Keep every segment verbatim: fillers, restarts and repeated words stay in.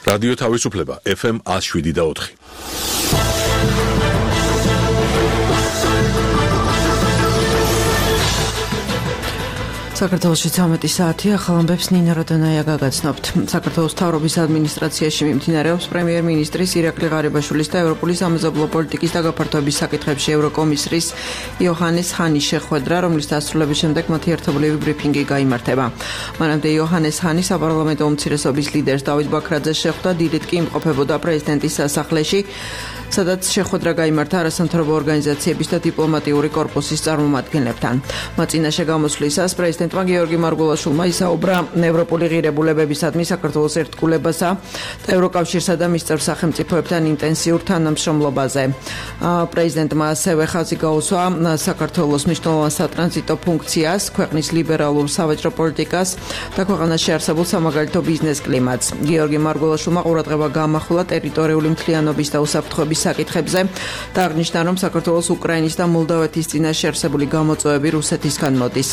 რადიო თავისუფლება ეფ ემ one oh seven და four. საქართველოში ცამეტი საათი ახალ ამბებს ნინა როდონაია გაგაცნობთ. საქართველოს მთავრობის ადმინისტრაციაში მიმდინარეობს პრემიერ-მინისტრის ირაკლი ღარიბაშვილის და ევროპული სამეზობლო პოლიტიკის დაგაფართოების საკითხებში ევროკომისრის იოჰანეს ჰანის შეხვედრა, რომლის დასრულების შემდეგ მათი ერთობლივი ბრიფინგი გაიმართება. მანამდე იოჰანეს ჰანი საპარლამენტო უმცირესობის ლიდერს დავით ბაქრაძეს შეხვდა, დილით კი იმყოფებოდა პრეზიდენტის სასახლეში, სადაც შეხვედრა გაიმართა არასამთავრობო ორგანიზაციების და დიპლომატიური კორპუსის წარმომადგენლებთან. მათ წინაშე გამოსვლისას პრეზიდენტმა გიორგი მარგველაშვილმა ისაუბრა ევროპული ღირებულებებისადმი საქართველოს ერთგულებასა და ევროკავშირსა და მის წევრ სახელმწიფოებთან ინტენსიურ თანამშრომლობაზე. პრეზიდენტმა ასევე ხაზი გაუსვა საქართველოს მნიშვნელოვან სატრანზიტო ფუნქციას, ქვეყნის ლიბერალურ სავაჭრო პოლიტიკას და ქვეყანაში არსებულ სამაგალითო ბიზნეს კლიმატს. გიორგი მარგველაშვილმა ყურადღება გაამახვილა ტერიტორიული მთლიანობის და უსაფრთხოების საკითხებზე და აღნიშნა, რომ საქართველოს უკრაინის და მოლდავეთის წინაშე არსებული გამოწვევები რუსეთისგან მოდის.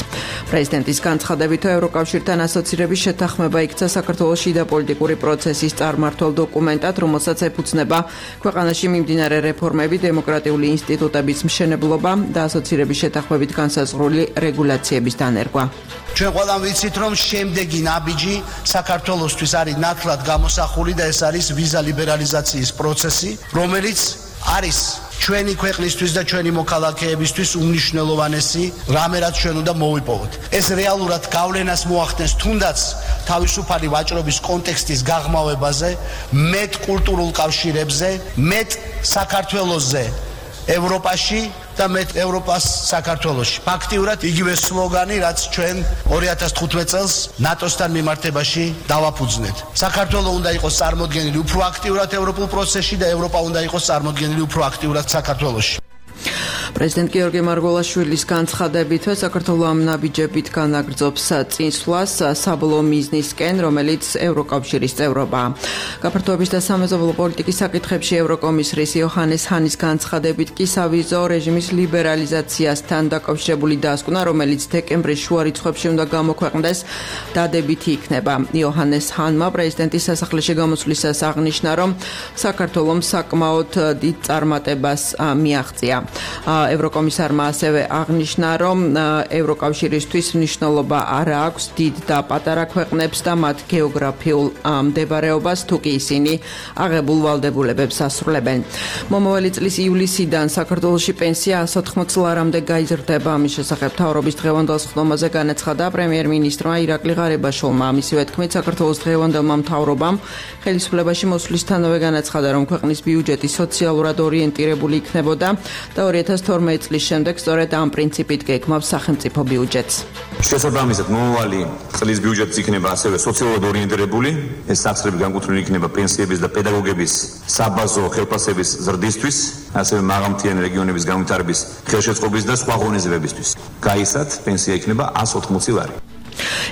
პრეზიდენტის განცხადებით ევროკავშირთან ასოცირების შეთანხმება იქცა საქართველოს შიდა პოლიტიკური პროცესის წარმართულ დოკუმენტად, რომელსაც ეფუძნება ქვეყანაში მიმდინარე რეფორმები, დემოკრატიული ინსტიტუტების მშენებლობა და ასოცირების შეთანხმებით განსაზღვრული რეგულაციების დანერგვა. ჩვენ ყველამ ვიცით, რომ შემდეგი ნაბიჯი საქართველოსთვის არის ნათლად გამოსახული და ეს არის ვიზა ლიბერალიზაციის პროცესი, რომელიც არის ჩვენი ქვეყნისთვის და ჩვენი მოქალაქეებისთვის უმნიშვნელოვანესი რამე, რაც ჩვენ უნდა მოვიპოვოთ. ეს რეალურად გავლენას მოახდენს თუნდაც თავისუფალი ვაჭრობის კონტექსტის გაღრმავებაზე, მეტ კულტურულ კავშირებზე, მეტ საქართველოსზე ევროპაში და მეტ ევროპას საქართველოში. ფაქტიურად იგივე სლოგანი, რაც ჩვენ ორი ათას თხუთმეტ წელს ნატოსთან მიმართებაში დავაფუძნეთ. საქართველო უნდა იყოს წარმოდგენილი უფრო აქტიურად ევროპულ პროცესში და ევროპა უნდა იყოს წარმოდგენილი უფრო აქტიურად საქართველოში. პრეზიდენტ გიორგი მარგველაშვილის განცხადებითვე საქართველო ამ ნაბიჯებით განაგრძობს წინსვლას საბოლოო მიზნისკენ, რომელიც ევროკავშირის წევრობაა. გაფართოების და სამეზობლო პოლიტიკის საკითხებში ევროკომისრის იოჰანეს ჰანის განცხადებით კი სავიზო რეჟიმის ლიბერალიზაციასთან დაკავშირებული დასკვნა, რომელიც დეკემბრის შუა რიცხვებში უნდა გამოქვეყნდეს, დადებითი იქნება. იოჰანეს ჰანმა პრეზიდენტის სასახლეში გამოსვლისას აღნიშნა, რომ საქართველომ საკმაოდ დიდ წარმატებას მიაღწია. ევროკომისარმა ასევე აღნიშნა, რომ ევროკავშირისთვის მნიშვნელობა არ აქვს დიდ და პატარა ქვეყნებს და მათ გეოგრაფიულ მდებარეობას, თუ კი ისინი აღებულ ვალდებულებებს ასრულებენ. მომავალი წლის ივლისიდან საქართველოში პენსია one hundred eighty ლარამდე გაიზრდება. ამის შესახებ მთავრობის დღევანდელ სხდომაზე განაცხადა პრემიერ-მინისტრმა ირაკლი ღარიბაშვილმა. მისივე თქმით, საქართველოს დღევანდელმა მთავრობამ ხელისუფლებაში მოსვლისთანავე განაცხადა, რომ ქვეყნის ბიუჯეტი სოციალურად ორიენტირებული იქნებოდა და ორი ათას თორმეტ წლის შემდეგ სწორედ ამ პრინციპით გეგმავს სახელმწიფო ბიუჯეტს. შესაბამისად, მომავალი წლის ბიუჯეტიც იქნება ასევე სოციალურად ორიენტირებული. ეს სახსრები განკუთვნილი იქნება პენსიების და პედაგოგების საბაზო ხელფასების ზრდისთვის, ასევე მაღალმთიანი რეგიონების განვითარების ხელშეწყობის და სხვა ღონისძიებებისთვის. გაისად პენსია იქნება one hundred eighty ლარი.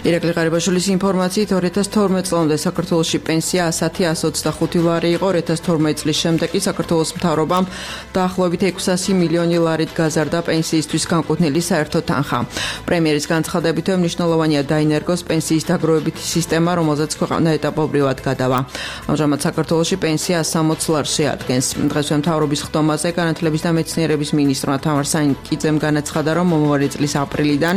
ირაკლი ღარიბაშვილის ინფორმაციით ორი ათას თორმეტ წლამდე საქართველოში პენსია one thousand one hundred twenty-five ლარი იყო, ორი ათას თორმეტ წლის შემდეგ კი საქართველოს მთავრობამ დაახლოებით ექვსი ათას მილიონი ლარით გაზარდა პენსიისთვის განკუთვნილი საერთო თანხა. პრემიერის განცხადებით მნიშვნელოვანია დაინერგოს პენსიის დაგროვებითი სისტემა, რომელზეც ქვეყანა ეტაპობრივად გადავა. ამჟამად საქართველოში პენსია one hundred sixty ლარს შეადგენს. დღესვე მთავრობის ხდომაზე განათლების და მეცნიერების მინისტრმა თამარ საინკიძემ განაცხადა, რომ მომავალი წლის აპრილიდან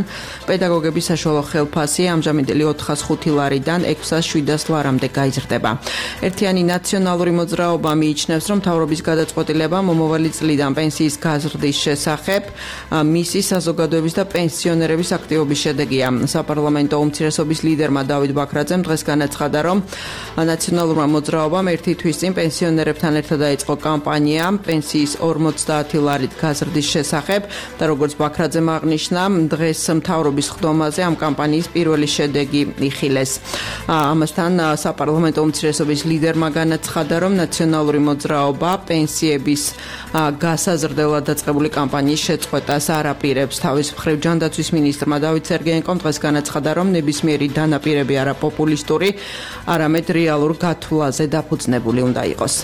პედაგოგების საშუალო ხელფასი ამჟამინდელი ოთხ ათას ხუთი ლარიდან ექვსი ათას შვიდას ლარამდე გაიზრდება. ერთიანი ნაციონალური მოძრაობა მიიჩნევს, რომ მთავრობის გადაწყვეტილება მომავალი წლიდან პენსიის გაზრდის შესახებ მისი საზოგადოების და პენსიონერების აქტივობის შედეგია. საპარლამენტო უმცირესობის ლიდერმა დავით ბაქრაძემ დღეს განაცხადა, რომ ნაციონალურმა მოძრაობამ ერთი თვის წინ პენსიონერებთან ერთად დაიწყო კამპანია პენსიის ორმოცდაათი ლარით გაზრდის შესახებ და როგორც ბაქრაძემ აღნიშნა, დღეს მთავრობის ხდომაზე ამ კამპანიის პირველი შედეგი იხილეს. ამასთან საპარლამენტო უმცირესობის ლიდერმა განაცხადა, რომ ნაციონალური მოძრაობა პენსიების გასაზრდელად დაწყებული კამპანიის შეწყვეტას არ აპირებს. თავის მხრივ ჯანდაცვის მინისტრმა დავით სერგეენკომ დღეს განაცხადა, რომ ნებისმიერი დანაპირები არა პოპულისტური, არამედ რეალურ გათვლაზე დაფუძნებული უნდა იყოს.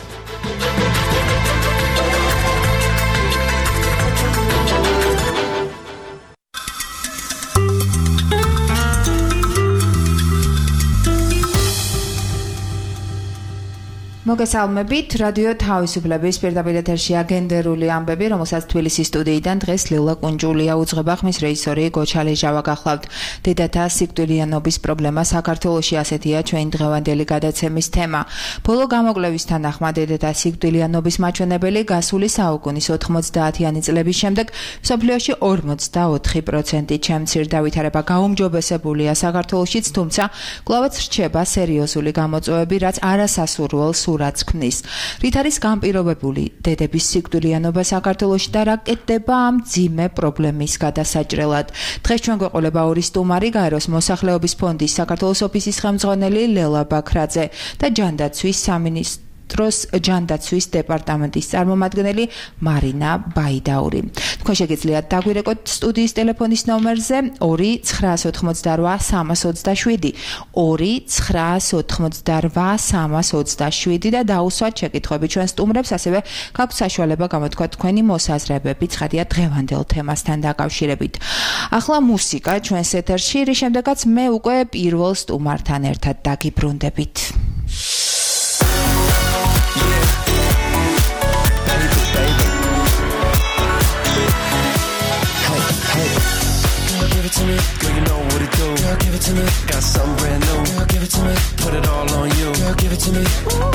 მოგესალმებით, რადიო თავისუფლების პირდაპირ ეთერშია გენდერული ამბები, რომელსაც თბილისის სტუდიიდან დღეს ლილა კუნჯულია უძღვება, ხმის რეჟისორი გოჩა ლეჟავა გახლავთ. დედათა სიკვდილიანობის პრობლემა საქართველოში ასეთია ჩვენი დღევანდელი გადაცემის თემა. ბოლო გამოკვლევის თანახმად დედათა სიკვდილიანობის მაჩვენებელი გასული საუკუნის ოთხმოცდაათიანი წლების შემდეგ მსოფლიოში ორმოცდაოთხი პროცენტით შემცირდა, ვითარება გაუმჯობესებულია საქართველოშიც, თუმცა კვლავაც რჩება სერიოზული გამოწვევები, რაც არასასურველ სურათს ქმნის. რით არის განპირობებული დედების სიკვდილიანობა საქართველოში და რა კეთდება ამ მძიმე პრობლემის გადასაჭრელად? დღეს ჩვენ გვეყოლება ორი სტუმარი, გაეროს მოსახლეობის ფონდის საქართველოს ოფისის ხელმძღვანელი ლელა ბაქრაძე და ჯანდაცვის სამინისტროს ჯანდაცვის დეპარტამენტის წარმომადგენელი მარინა ბაიდაური. თქვენ შეგიძლიათ დაგვირეკოთ სტუდიის ტელეფონის ნომერზე ორი ცხრაას ოთხმოცდარვა სამას ოცდაშვიდი, ორი ცხრაას ოთხმოცდარვა სამას ოცდაშვიდი და დაუსვათ შეკითხვები ჩვენ სტუმრებს, ასევე გაქვთ საშუალება გამოთქვათ თქვენი მოსაზრებები ცხადია დღევანდელ თემასთან დაკავშირებით. ახლა მუსიკა ჩვენს ეთერში, რის შემდეგაც მე უკვე პირველ სტუმართან ერთად დაგიბრუნდებით. To me, girl, you know what it do. Girl, give it to me. Got something brand new. Girl, give it to me. Put it all on you. Girl, give it to me. Ooh,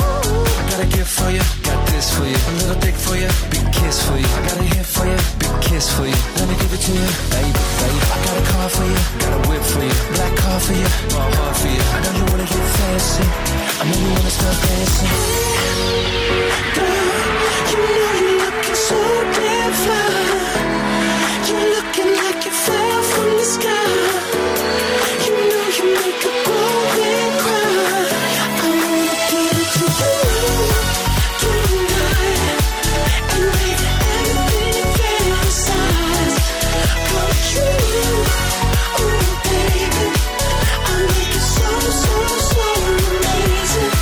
I got a gift for you. Got this for you. A little dick for you. Big kiss for you. I got a hit for you. Big kiss for you. Let me give it to you, baby, baby. I got a car for you. Got a whip for you. Black car for you. My heart for you. I know you wanna get fancy. I know you wanna start dancing. Girl, you know you're looking so damn fine. You're looking like you fell from the sky. You know you make a grown man cry. I wanna give it to you tonight and make everything you fantasize come true. Oh baby, I make it so so so amazing.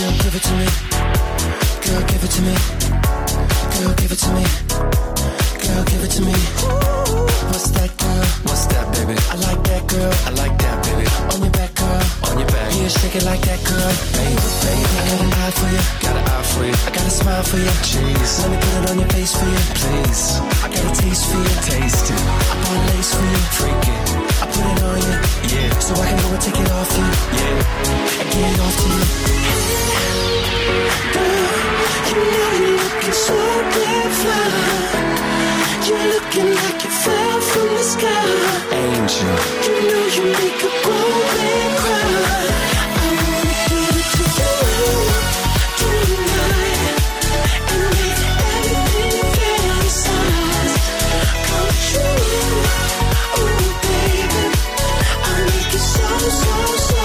I'll give it to you. Girl, give it to me. Girl, give it to me. Girl, give it to me. Girl, give it to me. What's that, girl? What's that, baby? I like that, girl. I like that, baby. On your back, girl. On your back. Yeah, shake it like that, girl. Baby, baby. I got an eye for you. Got an eye for you. I got a smile for you. Jeez. Let me put it on your face for you, please. I got a taste for you. Taste it. I bought lace for you. Freak it. I put it on you. Yeah. So I can go and take it off you. Yeah. And get it off to you. Girl, you know you're looking so damn fine. You're looking like you fell from the sky. Angel. You know you make a grown man cry. I wanna give it to you tonight and make everything you fantasize come true. Oh baby, I make it so so so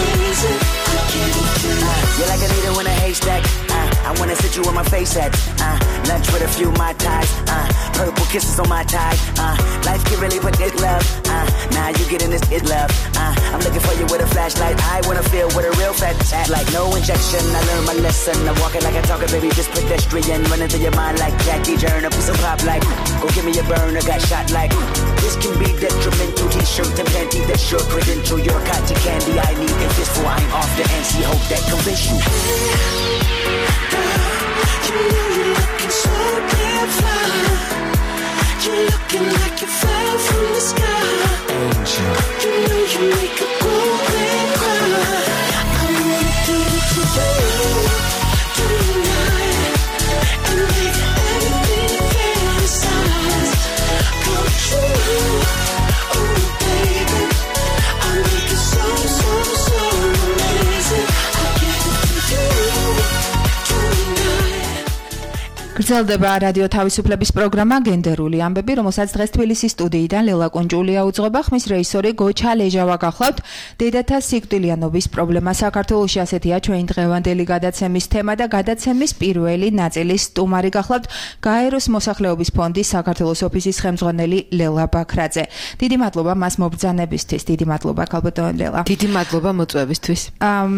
amazing. I give it to you. Uh, you're like a needle in a haystack. Uh, I wanna sit you where my face at. Uh, lunch with a few of my ties. Uh, purple kisses on my tie. Uh, life can really put this love. Uh, now you getting this it love. Uh, I'm looking for you with a flashlight. I wanna feel what a real fat at. Like no injection. I learned my lesson. I'm walking like a talker, baby, just pedestrian. Running through your mind like Jackie Turner. Piece of pop like, go give me a burner. Got shot like, this can be detrimental. T-shirt and panty, that's your credential. You're cotton candy. I need a fistful. I ain't off the N C. Hope that convince you. Girl, you know you're looking so damn fine. You're looking like you fell from the sky. Angel. You know you make a grown man cry. I wanna give it to you tonight and make everything you fantasize come true. Oh baby, I make it so so so amazing. I give it to you tonight. გრძელდება რადიო თავისუფლების პროგრამა გენდერული ამბები, რომელსაც დღეს თბილისის სტუდიიდან ლელა კუნჯულია უძღვება, ხმის რეჟისორი გოჩა ლეჟავა გახლავთ. დედათა სიკვდილიანობის პრობლემა საქართველოში ასეთია ჩვენი დღევანდელი გადაცემის თემა და გადაცემის პირველი ნაწილის სტუმარი გახლავთ გაეროს მოსახლეობის ფონდის საქართველოს ოფისის ხელმძღვანელი ლელა ბაქრაძე. დიდი მადლობა მას მობრძანებისთვის, დიდი მადლობა ქალბატონ ლელა. დიდი მადლობა მოწვევისთვის. ამ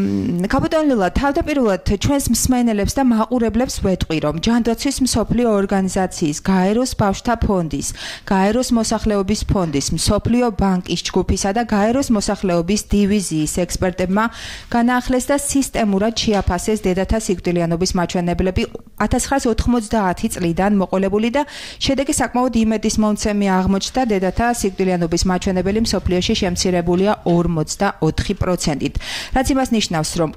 ქალბატონ ლელა, თავდაპირველად ჩვენს მსმენელებს და მაყურებლებს ვეტყვი, რომ ჯანდაცვის მსოფლიო ორგანიზაციის, გაეროს ბავშვთა ფონდის, გაეროს მოსახლეობის ფონდის, მსოფლიო ბანკის ჯგუფისა და გაეროს მოსახლეობის დივიზიის ექსპერტებმა განაახლეს და სისტემურად შეაფასეს დედათა სიკვდილიანობის მაჩვენებლები ათას ცხრაასი ოთხმოცდაათი წლიდან მოყოლებული და შედეგი საკმაოდ იმედის მომცემი აღმოჩნდა. დედათა სიკვდილიანობის მაჩვენებელი მსოფლიოში შემცირებულია ორმოცდაოთხი პროცენტით. რაც იმას ნიშნავს, რომ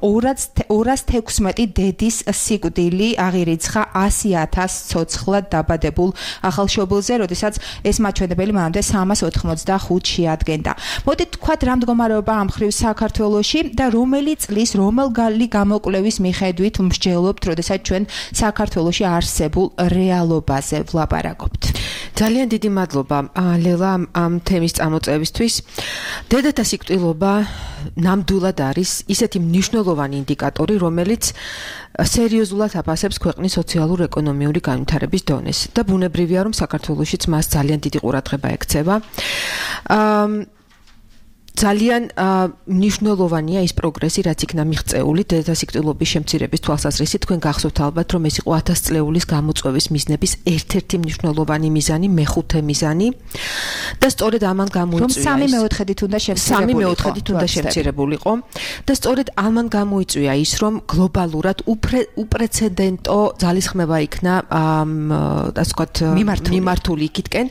ორას თექვსმეტი დედის სიკვდილი აღირიცხა ასი ათას ცოცხლად დაბადებულ ახალშობილზე, როდესაც ეს მაჩვენებელი მანამდე სამას ოთხმოცდახუთს შეადგენდა. მოდით თქვათ, რა მდგომარეობა ამ მხრივ საქართველოში და რომელი წლის რომელგალი გამოკვლევის მიხედვით მსჯელობთ, როდესაც ჩვენ საქართველოში არსებულ რეალობაზე ვლაპარაკობთ. ძალიან დიდი მადლობა ლელა ამ თემის წამოწევისთვის. დედათა სიკვდილობა ნამდვილად არის ისეთი მნიშვნელოვანი ინდიკატორი, რომელიც სერიოზულად აფასებს ქვეყნის სოციალურ-ეკონომიური განვითარების დონეს და ბუნებრივია, რომ საქართველოშიც მას ძალიან დიდი ყურადღება ექცევა. ძალიან მნიშვნელოვანია ის პროგრესი, რაც იქნა მიღწეული დედათა სიკვდილობის შემცირების თვალსაზრისით. თქვენ გახსოვთ ალბათ, რომ ეს იყო ათასწლეულის გამოწვევის მიზნების ერთ-ერთი მნიშვნელოვანი მიზანი, მეხუთე მიზანი და სწორედ ამან გამოიწვია რომ სამი მეოთხედით უნდა შემცირებულიყო. სამი მეოთხედით უნდა შემცირებულიყო და სწორედ ამან გამოიწვია ის, რომ გლობალურად უპრეცედენტო ძალისხმევა იქნა ასე ვთქვათ მიმართული იქითკენ,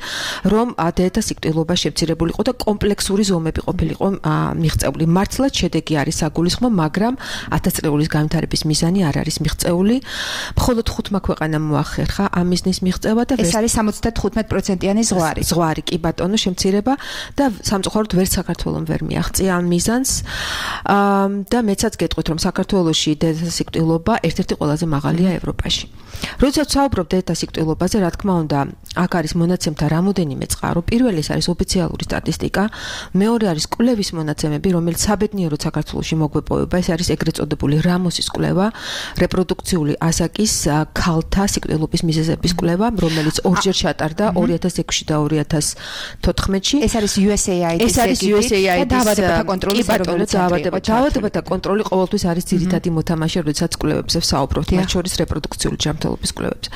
რომ დედათა სიკვდილობა შემცირებულიყო და კომპლექსური ზომები ყოფილიყო მიღწეული. მართლაც შედეგი არის საგულისხმო, მაგრამ ათასწლეულის განვითარების მიზანი არ არის მიღწეული. მხოლოდ ხუთმა ქვეყანამ მოახერხა ამ მიზნის მიღწევა და ეს არის სამოცდათხუთმეტ პროცენტიანი ზღვარი. ზღვარი კი ბატონო შემცირება და სამწუხაროდ ვერც საქართველოს ვერ მიაღწია ამ მიზანს. და მეცაც გეტყვით, რომ საქართველოში დედათა სიკვდილობა ერთ-ერთი ყველაზე მაღალია ევროპაში. როდესაც ვსაუბრობ დედათა სიკვდილობაზე, რა თქმა უნდა, აქ არის მონაცემთა რამოდენიმე წყარო. პირველი ეს არის ოფიციალური სტატისტიკა, მეორე არის კვლევის მონაცემები, რომელიც საბედნიეროდ საქართველოში მოგვეპოვება. ეს არის ეგრეთ წოდებული რამოსის კვლევა, რეპროდუქციული ასაკის ქალთა სიკვდილობის მიზეზების კვლევა, რომელიც ორჯერ ჩატარდა ორი ათას ექვსში და ორი ათას თოთხმეტში. ეს არის იუ ეს ეი აი-ის ეს არის იუ ეს ეი აი-ის დაავადებათა კონტროლის ეროვნული ცენტრი. დაავადებათა კონტროლი ყოველთვის არის ძირითადი მოთამაშე, როდესაც კვლევებზე ვსაუბრობთ, მათ შორის რეპროდუქციული ჯანმრთელობის კვლევებზე.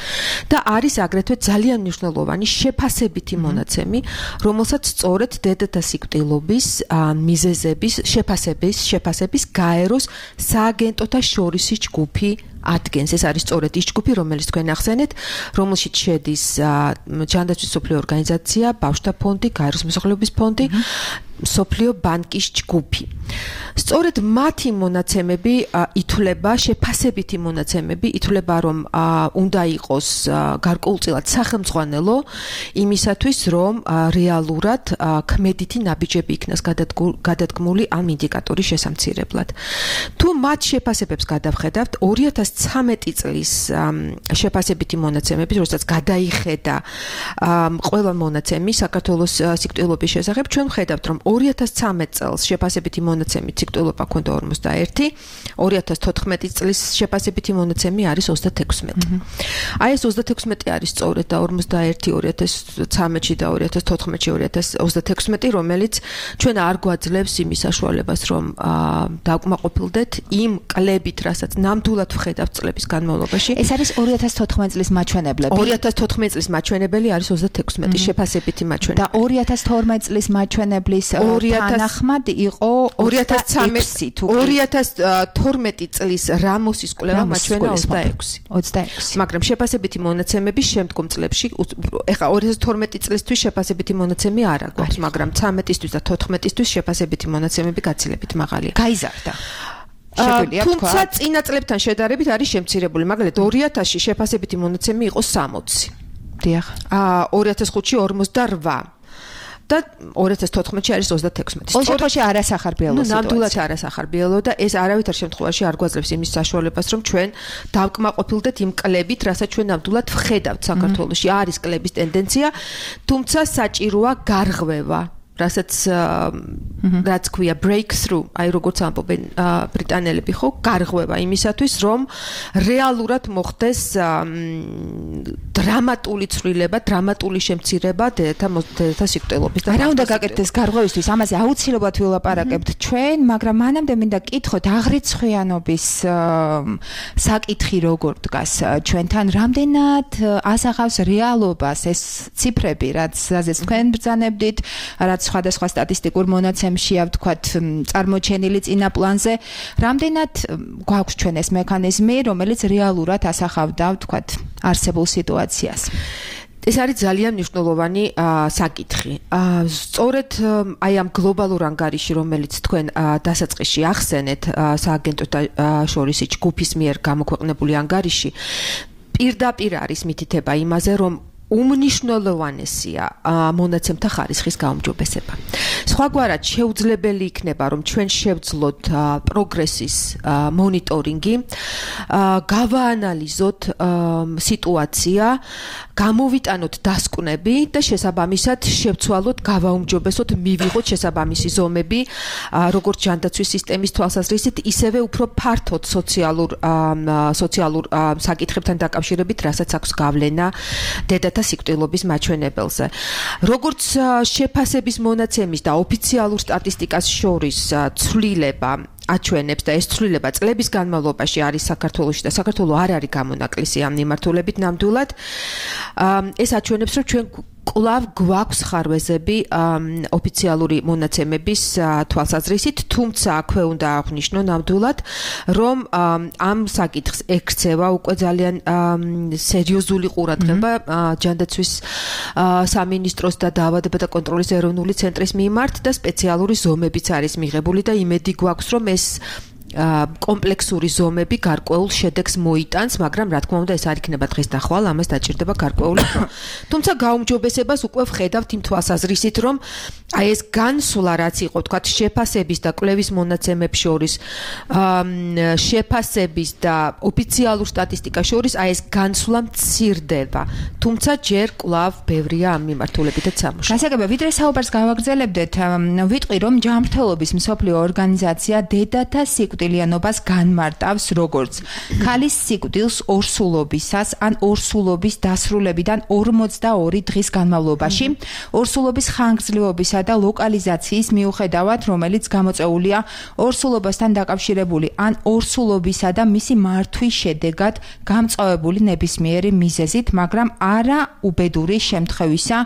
და არის აგრეთვე ძალიან მნიშვნელოვანი შეფასებითი მონაცემი, რომელსაც სწორედ დედათა სიკვდილობის მიზეზების შეფასების შეფასების გაეროს სააგენტოთა შორისი ჯგუფი ადგენს. ეს არის სწორედ ის ჯგუფი, რომელიც თქვენ ახსენეთ, რომელშიც შედის ჯანდაცვის მსოფლიო ორგანიზაცია, ბავშვთა ფონდი, გაეროს მოსახლეობის ფონდი, მსოფლიო ბანკის ჯგუფი. სწორედ მათი მონაცემები ითვლება, შეფასებითი მონაცემები ითვლება, რომ უნდა იყოს გარკვეულწილად სახელმძღვანელო იმისათვის, რომ რეალურად ქმედითი ნაბიჯები იქნას გადადგმული ამ ინდიკატორის შესამცირებლად. თუ მათ შეფასებებს გადავხედავთ, ორი ათას ცხრამეტი წლის შეფასებითი მონაცემები, როდესაც გადაიხედა ყველა მონაცემი საქართველოს სიკვდილობის შესახებ, ჩვენ ვხედავთ, რომ ორი ათას ცხრამეტ წელს შეფასებითი მონაცემით სიკვდილობა ჰქონდა ორმოცდაერთი, ორი ათას თოთხმეტი წლის შეფასებითი მონაცემი არის ოცდათექვსმეტი. აი ეს ოცდათექვსმეტი არის სწორედ და ორმოცდაერთი ორი ათას ცხრამეტში და ორი ათას თოთხმეტში ორი ათას ოცდათექვსმეტი, რომელიც ჩვენ არ გვაძლევს იმის საშუალებას, რომ დავკმაყოფილდეთ იმ კლებით, რასაც ნამდვილად ვხედავთ წლების განმავლობაში. ეს არის ორი ათას თოთხმეტი წლის მაჩვენებლები. ორი ათას თოთხმეტი წლის მაჩვენებელი არის ოცდათექვსმეტი შეფასებითი მაჩვენებელი. და ორი ათას თორმეტი წლის მაჩვენებლის თანახმად იყო ორი ათას ცხრამეტი ორი ათას თორმეტი წლის რამოსის კვლევა მაჩვენა ოცდაექვსი. ოცდაექვსი. მაგრამ შეფასებითი მონაცემები შემდგომ წლებში, ეხლა ორი ათას თორმეტი წლისთვის შეფასებითი მონაცემი არ აქვს, მაგრამ ცხრამეტისთვის და თოთხმეტისთვის შეფასებითი მონაცემები გაცილებით მაღალია. გაიზარდა. შეგვიძლია თქვა. თუმცა წინა წლებთან შედარებით არის შემცირებული. მაგალითად ორი ათასში შეფასებითი მონაცემი იყო სამოცი. დიახ. ორი ათას ხუთში ორმოცდარვა. და ორი ათას თოთხმეტში არის ოცდათექვსმეტი. ოღონდ შემთხვევაში არასახარბიელო სიტუაცია. ნამდვილად არასახარბიელო და ეს არავითარ შემთხვევაში არ გვაძლევს იმის საშუალებას, რომ ჩვენ დავკმაყოფილდეთ იმ კლებით, რასაც ჩვენ ნამდვილად ვხედავთ საქართველოში. არის კლების ტენდენცია, თუმცა საჭიროა გარღვევა. რასაც რაც ქვია breakthrough, აი როგორც ამბობენ ბრიტანელები ხო, გარღვევა იმისათვის, რომ რეალურად მოხდეს დრამატული ცვლილება, დრამატული შემცირება დედათა სიკვდილობის. რა უნდა გაკეთდეს გარღვევისთვის? ამაზე აუცილებლად ვილაპარაკებთ ჩვენ, მაგრამ მანამდე მინდა გითხოთ აღრიცხვიანობის საკითხი როგორ დგას ჩვენთან, რამდენად ასახავს რეალობას ეს ციფრები, რაც აზეც თქვენ ბრძანებდით, რაც სხვადასხვა სტატისტიკურ მონაცემშია ვთქვათ წარმოჩენილი წინა პლანზე, რამდენად გვაქვს ჩვენ ეს მექანიზმი, რომელიც რეალურად ასახავდა ვთქვათ არსებულ სიტუაციას. ეს არის ძალიან მნიშვნელოვანი საკითხი. სწორედ აი ამ გლობალურ ანგარიში, რომელიც თქვენ დასაწყისში ახსენეთ, სააგენტოთა შორის ჯგუფის მიერ გამოქვეყნებული ანგარიში, პირდაპირ არის მითითება იმაზე, რომ უმნიშვნელოვანესია მონაცემთა ხარისხის გაუმჯობესება. სხვაგვარად შეუძლებელი იქნება, რომ ჩვენ შევძლოთ პროგრესის მონიტორინგი, გავაანალიზოთ სიტუაცია, გამოვიტანოთ დასკვნები და შესაბამისად შევცვალოთ, გავაუმჯობესოთ, მივიღოთ შესაბამისი ზომები, როგორც ჯანდაცვის სისტემის თვალსაზრისით, ისევე უფრო ფართოდ სოციალურ სოციალურ საკითხებთან დაკავშირებით, რასაც აქვს გავლენა დედათა სიკვდილობის მაჩვენებელზე. როგორც შეფასების მონაცემის და ოფიციალურ სტატისტიკას შორის ცვლილება აჩვენებს და ეს ცვლილება წლების განმავლობაში არის საქართველოში და საქართველო არ არის გამონაკლისი ამ მიმართულებით ნამდვილად. ეს აჩვენებს, რომ ჩვენ კვლავ გვაქვს ხარვეზები ოფიციალური მონაცემების თვალსაზრისით, თუმცა აქვე უნდა აღვნიშნო ნამდვილად, რომ ამ საკითხს ექცევა უკვე ძალიან სერიოზული ყურადღება ჯანდაცვის სამინისტროს და დაავადებათა კონტროლის ეროვნული ცენტრის მიმართ და სპეციალური ზომებიც არის მიღებული და იმედი გვაქვს, რომ ეს კომპლექსური ზომები გარკვეულ შედეგს მოიტანს, მაგრამ რა თქმა უნდა ეს არ იქნება დღეს და ხვალ, ამას დაჭირდება გარკვეული დრო. თუმცა გაუმჯობესებას უკვე ვხედავთ იმ თვალსაზრისით, რომ აი ეს განსვლა რაც იყო, თქვათ, შეფასების და კვლევის მონაცემებს შორის, შეფასების და ოფიციალურ სტატისტიკას შორის, აი ეს განსვლა მცირდება. თუმცა ჯერ კვლავ ბევრია ამ მიმართულებითაც სამუშაო. გასაგებია, ვიდრე საუბარს გავაგრძელებდეთ, ვიტყვი, რომ ჯანმრთელობის მსოფლიო ორგანიზაცია დედათა სიკვდილიანობას განმარტავს როგორც ქალის სიკვდილს ორსულობისას ან ორსულობის დასრულებიდან ორმოცდაორი დღის განმავლობაში, ორსულობის ხანგრძლივობისა და ლოკალიზაციის მიუხედავად, რომელიც გამოწეულია ორსულობასთან დაკავშირებული ან ორსულობისა და მისი მართვის შედეგად გამწვავებული ნებისმიერი მიზეზით, მაგრამ არა უბედური შემთხვევისა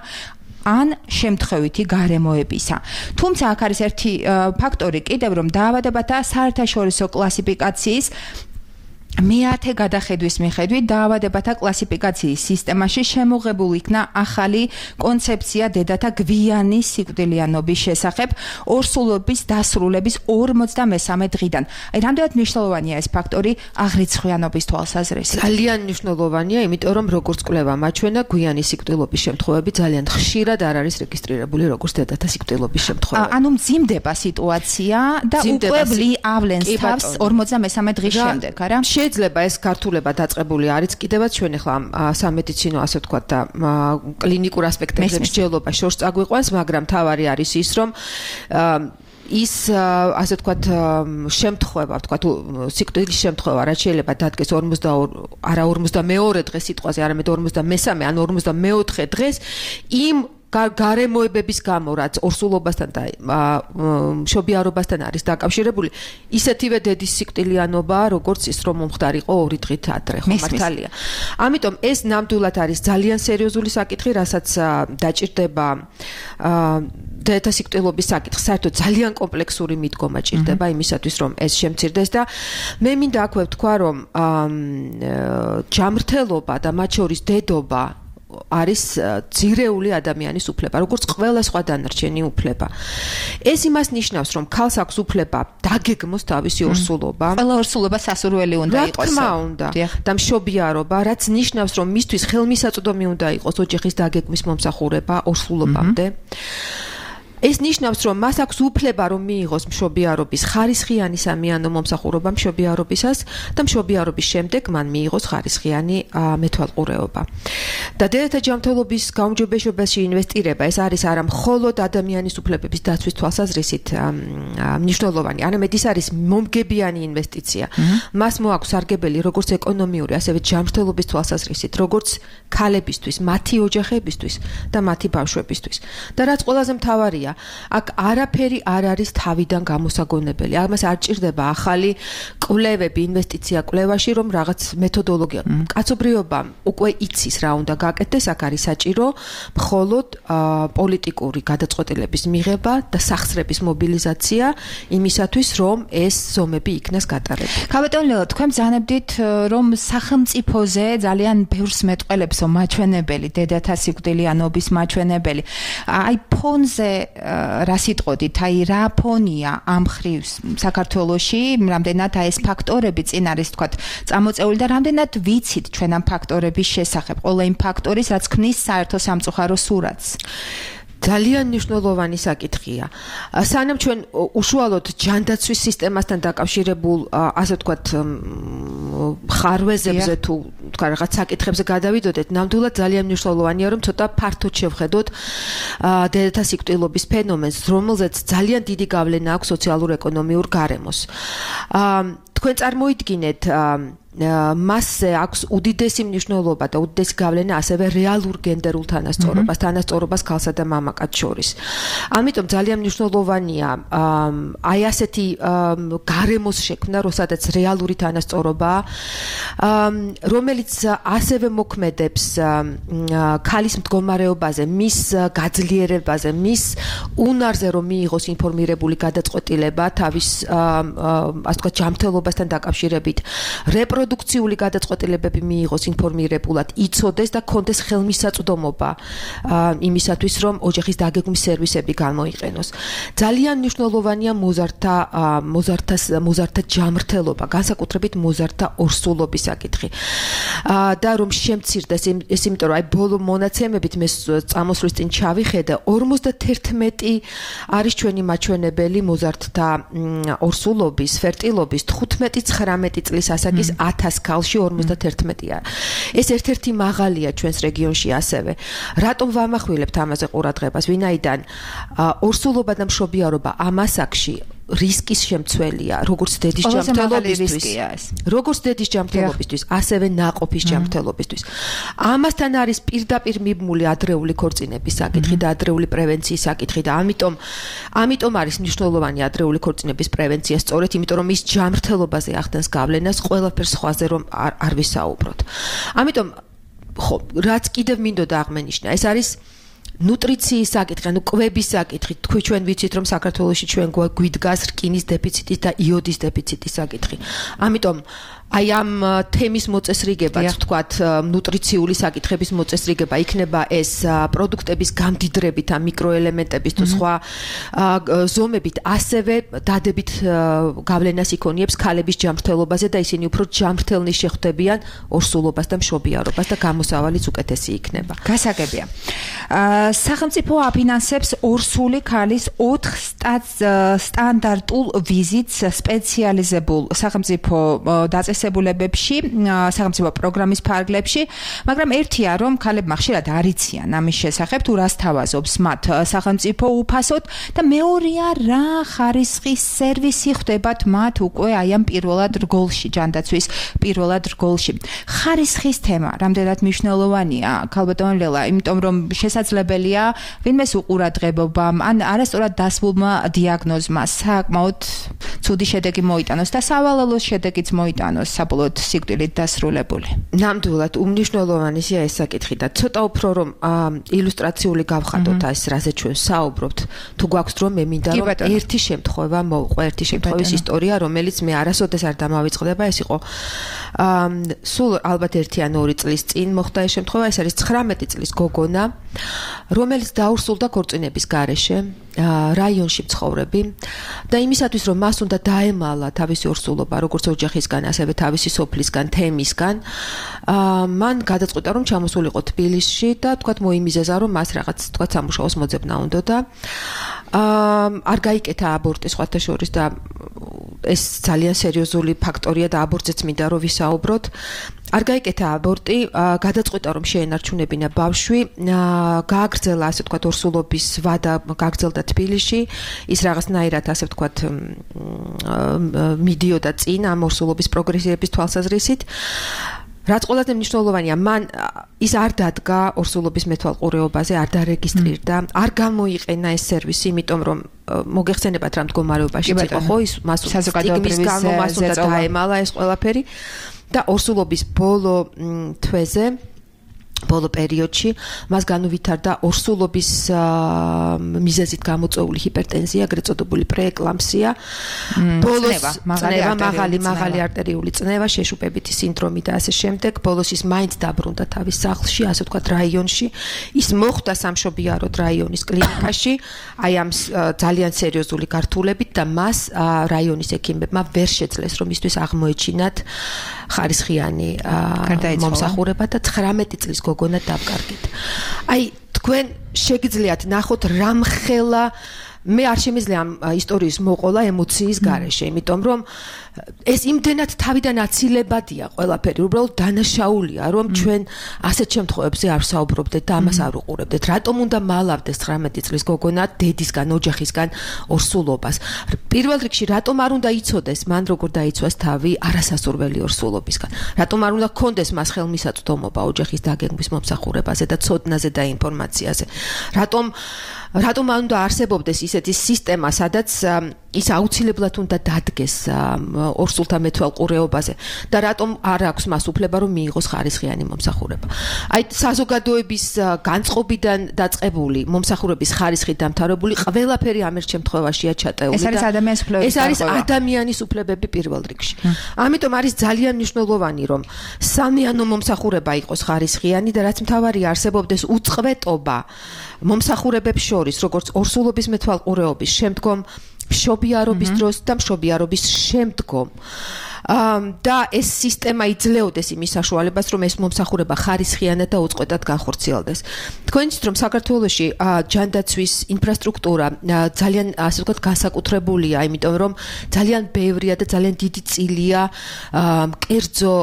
ან შემთხვევითი გარემოებისა. თუმცა აქ არის ერთი ფაქტორი კიდევ, რომ დაავადებათა საერთაშორისო კლასიფიკაციის მეათე გადახედვის მიხედვით დაავადებათა კლასიფიკაციის სისტემაში შემოღებულ იქნა ახალი კონცეფცია დედათა გვიანი სიკვდილიანობის შესახებ ორსულობის დასრულების ორმოცდამესამე დღიდან. აი, რამდენად მნიშვნელოვანია ეს ფაქტორი აღრიცხვიანობის თვალსაზრისით? ძალიან მნიშვნელოვანია, იმიტომ რომ როგორც კვლევა მაჩვენა, გვიანი სიკვდილობის შემთხვევები ძალიან ხშირად არ არის რეგისტრირებული როგორც დედათა სიკვდილობის შემთხვევები. ანუ მძიმდება სიტუაცია და უკვე ავლენს თავს ორმოცდამესამე დღის შემდეგ, არა? შეიძლება ეს გართულება დაწყებული არის კიდევაც ჩვენ ახლა სამედიცინო ასე ვთქვათ და კლინიკურ ასპექტებზე მსჯელობა შორს წაგვიყვანს, მაგრამ თავარი არის ის, რომ ის ასე ვთქვათ შემთხვევა, ვთქვათ სიკვდილის შემთხვევა, რაც შეიძლება დადგეს ორმოცდაორი, არა ორმოცდამეორე დღეს სიტყვაზე, არამედ ორმოცდამესამე ან ორმოცდამეოთხე დღეს იმ გარემოებების გამო, რაც ორსულობასთან და მშობიარობასთან არის დაკავშირებული, ისეთივე დედის სიკვდილიანობა, როგორც ის რომ მომხდარიყო ორი დღით ადრე, ხო მართალია. ამიტომ ეს ნამდვილად არის ძალიან სერიოზული საკითხი, რასაც დაჭირდება დედათა სიკვდილობის საკითხი, საერთოდ ძალიან კომპლექსური მიდგომა ჭირდება იმისათვის, რომ ეს შემცირდეს და მე მინდა აქვე ვთქვა, რომ ჯანმრთელობა და მათ შორის დედობა არის ძირეული ადამიანის უფლება, როგორც ყველა სხვა დანარჩენი უფლება. ეს იმას ნიშნავს, რომ ქალს აქვს უფლება დაგეგმოს თავისი ორსულობა. ყველა ორსულობა სასურველი უნდა იყოს. რა თქმა უნდა. და მშობიარობა, რაც ნიშნავს, რომ მისთვის ხელმისაწვდომი უნდა იყოს ოჯახის დაგეგმის მომსახურება ორსულობამდე. ეს ნიშნავს, რომ მას აქვს უფლება, რომ მიიღოს მშობიარობის ხარისხიანი სამიანო მომსახურება მშობიარობისას და მშობიარობის შემდეგ მან მიიღოს ხარისხიანი მეთვალყურეობა. და დედათა ჯანმრთელობის გაუმჯობესებაში ინვესტირება ეს არის არა მხოლოდ ადამიანის უფლებების დაცვის თვალსაზრისით მნიშვნელოვანი, არამედ ის არის მომგებიანი ინვესტიცია. მას მოაქვს სარგებელი როგორც ეკონომიური, ასევე ჯანმრთელობის თვალსაზრისით, როგორც ქალებისთვის, მათი ოჯახებისთვის და მათი ბავშვებისთვის. და რაც ყველაზე მთავარია, აქ არაფერი არ არის თავიდან გამოსაგონებელი. ამას არ ჭირდება ახალი კვლევები, ინვესტიცია კვლევაში, რომ რაღაც მეთოდოლოგია. კაცობრიობა უკვე იცის რა უნდა გაკეთდეს, აქ არის საჭირო მხოლოდ პოლიტიკური გადაწყვეტილების მიღება და სახსრების მობილიზაცია იმისათვის, რომ ეს ზომები იქნას გატარებული. ქალბატონ ლელა, თქვენ ბრძანებდით, რომ სახელმწიფოზე ძალიან ბევრს მეტყველებსო მაჩვენებელი, დედათა სიკვდილიანობის მაჩვენებელი. აი ფონზე რა სიტყოდით, აი რა ფონია ამ ხრივ საქართველოში, რამდენად აი ეს ფაქტორები წინ არის თქვათ წამოწეული და რამდენად ვიცით ჩვენ ამ ფაქტორების შესახებ, ყველა იმ ფაქტორის, რაც ქმნის საერთო სამწუხარო სურათს. ძალიან მნიშვნელოვანი საკითხია. სანამ ჩვენ უშუალოდ ჯანდაცვის სისტემასთან დაკავშირებულ, ასე ვთქვათ, ხარვეზებზე თუ თქვა რაღაც საკითხებზე გადავიდოდეთ, ნამდვილად ძალიან მნიშვნელოვანია, რომ ცოტა ფართოდ შევხედოთ დედათა სიკვდილობის ფენომენს, რომელზეც ძალიან დიდი გავლენა აქვს სოციალურ-ეკონომიურ გარემოს. თქვენ წარმოიდგინეთ მასზე აქვს უდიდესი მნიშვნელობა და უდიდესი გავლენა ასევე რეალურ გენდერულ თანასწორობას, თანასწორობას ქალსა და მამაკაც შორის. ამიტომ ძალიან მნიშვნელოვანია აი ასეთი გარემოს შექმნა, როდესაც რეალური თანასწორობაა, რომელიც ასევე მოქმედებს ქალის მდგომარეობაზე, მის გაძლიერებაზე, მის უნარზე, რომ მიიღოს ინფორმირებული გადაწყვეტილება თავის ასე ვთქვათ ჯანმრთელობასთან დაკავშირებით, რეპროდუქციული გადაწყვეტილებები მიიღოს ინფორმირებულად, იცოდეს და კონდეს ხელმისაწვდომობა იმისათვის, რომ ოჯახის დაგეგმვის სერვისები გამოიყენოს. ძალიან მნიშვნელოვანია მოზარდთა მოზარდთას მოზარდთა ჯანმრთელობა, განსაკუთრებით მოზარდთა ორსულობის საკითხი. და რომ შემცირდეს ეს, იმიტომ რომ აი ბოლო მონაცემებით მე წამოსვლის წინ ჩავიხედე, ორმოცდაერთმეტი არის ჩვენი მაჩვენებელი მოზარდთა ორსულობის, ფერტილობის, თხუთმეტი ცხრამეტი წლის ასაკის ათას ქალში ორმოცდაერთმეტია. ეს ერთ-ერთი მაღალია ჩვენს რეგიონში ასევე. რატომ ვამახვილებთ ამაზე ყურადღებას? ვინაიდან ორსულობა და მშობიარობა ამ ასაკში რისკის შემცველია, როგორც დედის ჯანმრთელობისთვის, როგორც დედის ჯანმრთელობისთვის, ასევე ნაყოფის ჯანმრთელობისთვის. ამასთან არის პირდაპირ მიბმული ადრეული ქორწინების საკითხი და ადრეული პრევენციის საკითხი და ამიტომ ამიტომ არის მნიშვნელოვანი ადრეული ქორწინების პრევენცია, სწორედ იმიტომ რომ ის ჯანმრთელობაზე ახდენს გავლენას, ყველაფერს სხვაზე რომ არ, არ ვისაუბროთ. ამიტომ ხო, რაც კიდევ მინდოდა აღმენიშნა, ეს არის ნუტრიციის საკითხი, ანუ კვების საკითხი. თქვი ჩვენ ვიცით, რომ საქართველოში ჩვენ გვიდგას რკინის დეფიციტის და იოდის დეფიციტის საკითხი. ამიტომ აი ამ თემის მოწესრიგებაც, ვთქვათ, ნუტრიციული საკითხების მოწესრიგება იქნება ეს პროდუქტების გამდიდრებით, ამ მიკროელემენტების თუ სხვა ზომებით, ასევე დადებით გავლენას იქონიებს ქალების ჯანმრთელობაზე და ისინი უფრო ჯანმრთელნი შეხვდებიან ორსულობას და მშობიარობას და გამოსავალიც უკეთესი იქნება. გასაგებია. სახელმწიფო აფინანსებს ორსული ქალის ოთხ სტანდარტულ ვიზიტს სპეციალიზებულ სახელმწიფო დაწესებულებებში, სახელმწიფო პროგრამის ფარგლებში, მაგრამ ერთია, რომ ქალებმა ხშირად არ იციან ამის შესახებ, თუ რას თავაზობს მათ სახელმწიფო უფასოდ და მეორეა, რა ხარისხის სერვისი ხდებათ მათ უკვე აი ამ პირველად რგოლში, ჯანდაცვის პირველად რგოლში. ხარისხის თემა რამდენად მნიშვნელოვანია, ქალბატონ ლელა, იმიტომ რომ შესაძლებელია ვინმეს უყურადღებობამ ან არასწორად დასრულმა დიაგნოზმა საკმაოდ ცუდი შედეგი მოიტანოს და სავალალოს შედეგიც მოიტანოს საბოლოოდ სიკვდილით დასრულებული. ნამდვილად უმნიშვნელოვანესია ეს საკითხი და ცოტა უფრო რომ ილუსტრაციული გავხადოთ ეს რაზე ჩვენ საუბრობთ, თუ გვაქვს დრო მე მინდა რომ ერთი შემთხვევა მოვყვე, ერთი შემთხვევის ისტორია, რომელიც მე არასოდეს არ დამავიწყდება, ეს იყო სულ ალბათ ერთი ან ორი წლის წინ მოხდა ეს შემთხვევა, ეს არის ცხრამეტი წლის გოგონა, რომელიც დაურსულდა ქორწინების გარეშე. რაიონში მცხოვრები და იმისათვის რომ მას უნდა დაემალა თავისი ორსულობა როგორც ოჯახისგან ასევე თავისი სოფლისგან თემისგან მან გადაწყვიტა რომ ჩამოსულიყო თბილისში და თქვათ მოიმიზეზა რომ მას რაღაც თქვათ სამუშაოს მოძებნა უნდა და არ გაიკეთა აბორტი სხვათა შორის და ეს ძალიან სერიოზული ფაქტორია და აბორტზეც მინდა რომ ვისაუბროთ არ გაიკეთა აბორტი გადაწყვიტა რომ შეენარჩუნებინა ბავშვი გააგრძელა ასე ვთქვათ ორსულობის ვადა გააგრძელდა თბილისში ის რაღაცნაირად ასე ვთქვათ მიდიოდა წინ ამ ორსულობის პროგრესირების თვალსაზრისით რაც ყველაზე მნიშვნელოვანია მან ის არ დადგა ორსულობის მეთვალყურეობაზე არ დარეგისტრირდა არ გამოიყენა ეს სერვისი იმიტომ რომ მოგეხსენებათ რა მდგომარეობაში იყო ხო ის მას სტიგმის გამო მას უნდა დაემალა ეს ყველაფერი და ორსულობის ბოლო თვეზე ბოლო პერიოდში მას განუვითარდა ორსულობის მიზეზით გამოწვეული ჰიპერტენზია, ეგრეთ წოდებული პრეეკლამსია, ბოლოს წნევა, მაღალი მაღალი არტერიული წნევა, შეშუპებითი სინდრომი და ასე შემდეგ. ბოლოს ის მაინც დაბრუნდა თავის სახლში, ასე ვთქვათ, რაიონში. ის მოხვდა სამშობიაროდ რაიონის კლინიკაში, აი ამ ძალიან სერიოზული გართულებით და მას რაიონის ექიმებმა ვერ შეძლეს, რომ ისთვის აღმოეჩინათ ხარისხიანი მომსახურება და ცხრამეტი წლის გოგონა დავკარგეთ. აი თქვენ შეგიძლიათ ნახოთ რამხელა მე არ შემიძლია ამ ისტორიის მოყოლა ემოციის გარეშე, იმიტომ რომ ეს იმდენად თავიდან აცილებადია ყველაფერი, უბრალოდ დანაშაულია, რომ ჩვენ ასეთ შემთხვევებზე არ ვსაუბრობდეთ და ამას არ უყურებდეთ. რატომ უნდა მალავდეს ცხრამეტი წლის გოგონა დედისგან, ოჯახისგან ორსულობას? პირველ რიგში რატომ არ უნდა იცოდეს მან როგორ დაიცვას თავი არასასურველი ორსულობისგან? რატომ არ უნდა ჰქონდეს მას ხელმისაწვდომობა ოჯახის დაგეგმვის მომსახურებაზე და ცოდნაზე და ინფორმაციაზე? რატომ რატომ არ უნდა არსებობდეს ისეთი სისტემა, სადაც ის აუცილებლად უნდა დადგეს ორსულთა მეთვალყურეობაზე და რატომ არ აქვს მას უფლება რომ მიიღოს ხარისხიანი მომსახურება. აი საზოგადოების განწყობიდან დაწყებული მომსახურების ხარისხით დამთავრებული ყველაფერი ამ ერთ შემთხვევაშია ჩატეული. ეს არის ადამიანის უფლებების ეს არის ადამიანის უფლებები პირველ რიგში. ამიტომ არის ძალიან მნიშვნელოვანი რომ სამიანო მომსახურება იყოს ხარისხიანი და რაც მთავარია არსებობდეს უწყვეტობა მომსახურებებს შორის, როგორც ორსულობის მეთვალყურეობის შემდგომ მშობიარობის დროს და მშობიარობის შემდგომ. და ეს სისტემა იძლეოდეს იმის საშუალებას, რომ ეს მომსახურება ხარისხიანად და უწყვეტად განხორციელდეს. თქვენ იცით, რომ საქართველოში ჯანდაცვის ინფრასტრუქტურა ძალიან ასე ვთქვათ განსაკუთრებულია, იმიტომ რომ ძალიან ბევრია და ძალიან დიდი წილია კერძო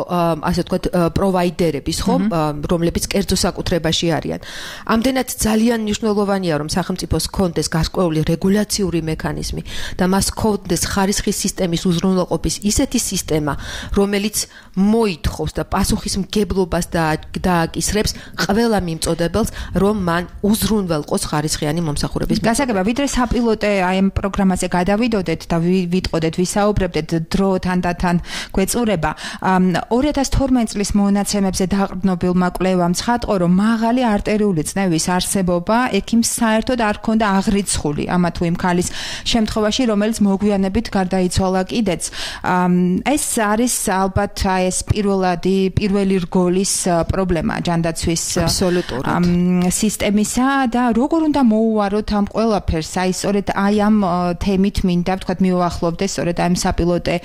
ასე ვთქვათ პროვაიდერების, ხო, რომლებიც კერძო საკუთრებაში არიან. ამდენად ძალიან მნიშვნელოვანია, რომ სახელმწიფოს ჰქონდეს გარკვეული რეგულაციური მექანიზმი და მას ჰქონდეს ხარისხის სისტემის უზრუნველყოფის ისეთი სისტემა, რომელიც მოითხოვს და პასუხისმგებლობას დააკისრებს ყველა მიმწოდებელს, რომ მან უზრუნველყოს ხარისხიანი მომსახურების. გასაგება, ვიდრე საპილოტე აი ამ პროგრამაზე გადავიდოდეთ და ვიტყოდეთ, ვისაუბრებდეთ დრო თანდათან გვეწურება. ორი ათას თორმეტი წლის მონაცემებზე დაყრდნობილმა კვლევამ ცხადყო, რომ მაღალი არტერიული წნევის არსებობა ექიმს საერთოდ არ ჰქონდა აღრიცხული ამა თუ იმ ქალის შემთხვევაში, რომელიც მოგვიანებით გარდაიცვალა კიდეც. ეს არის ალბათ ეს პირველადი პირველი რგოლის პრობლემა ჯანდაცვის სისტემისა და როგორ უნდა მოუვაროთ ამ ყველაფერს? აი სწორედ აი ამ თემით მინდა ვთქვათ მივუახლოვდეს სწორედ აი ამ საპილოტე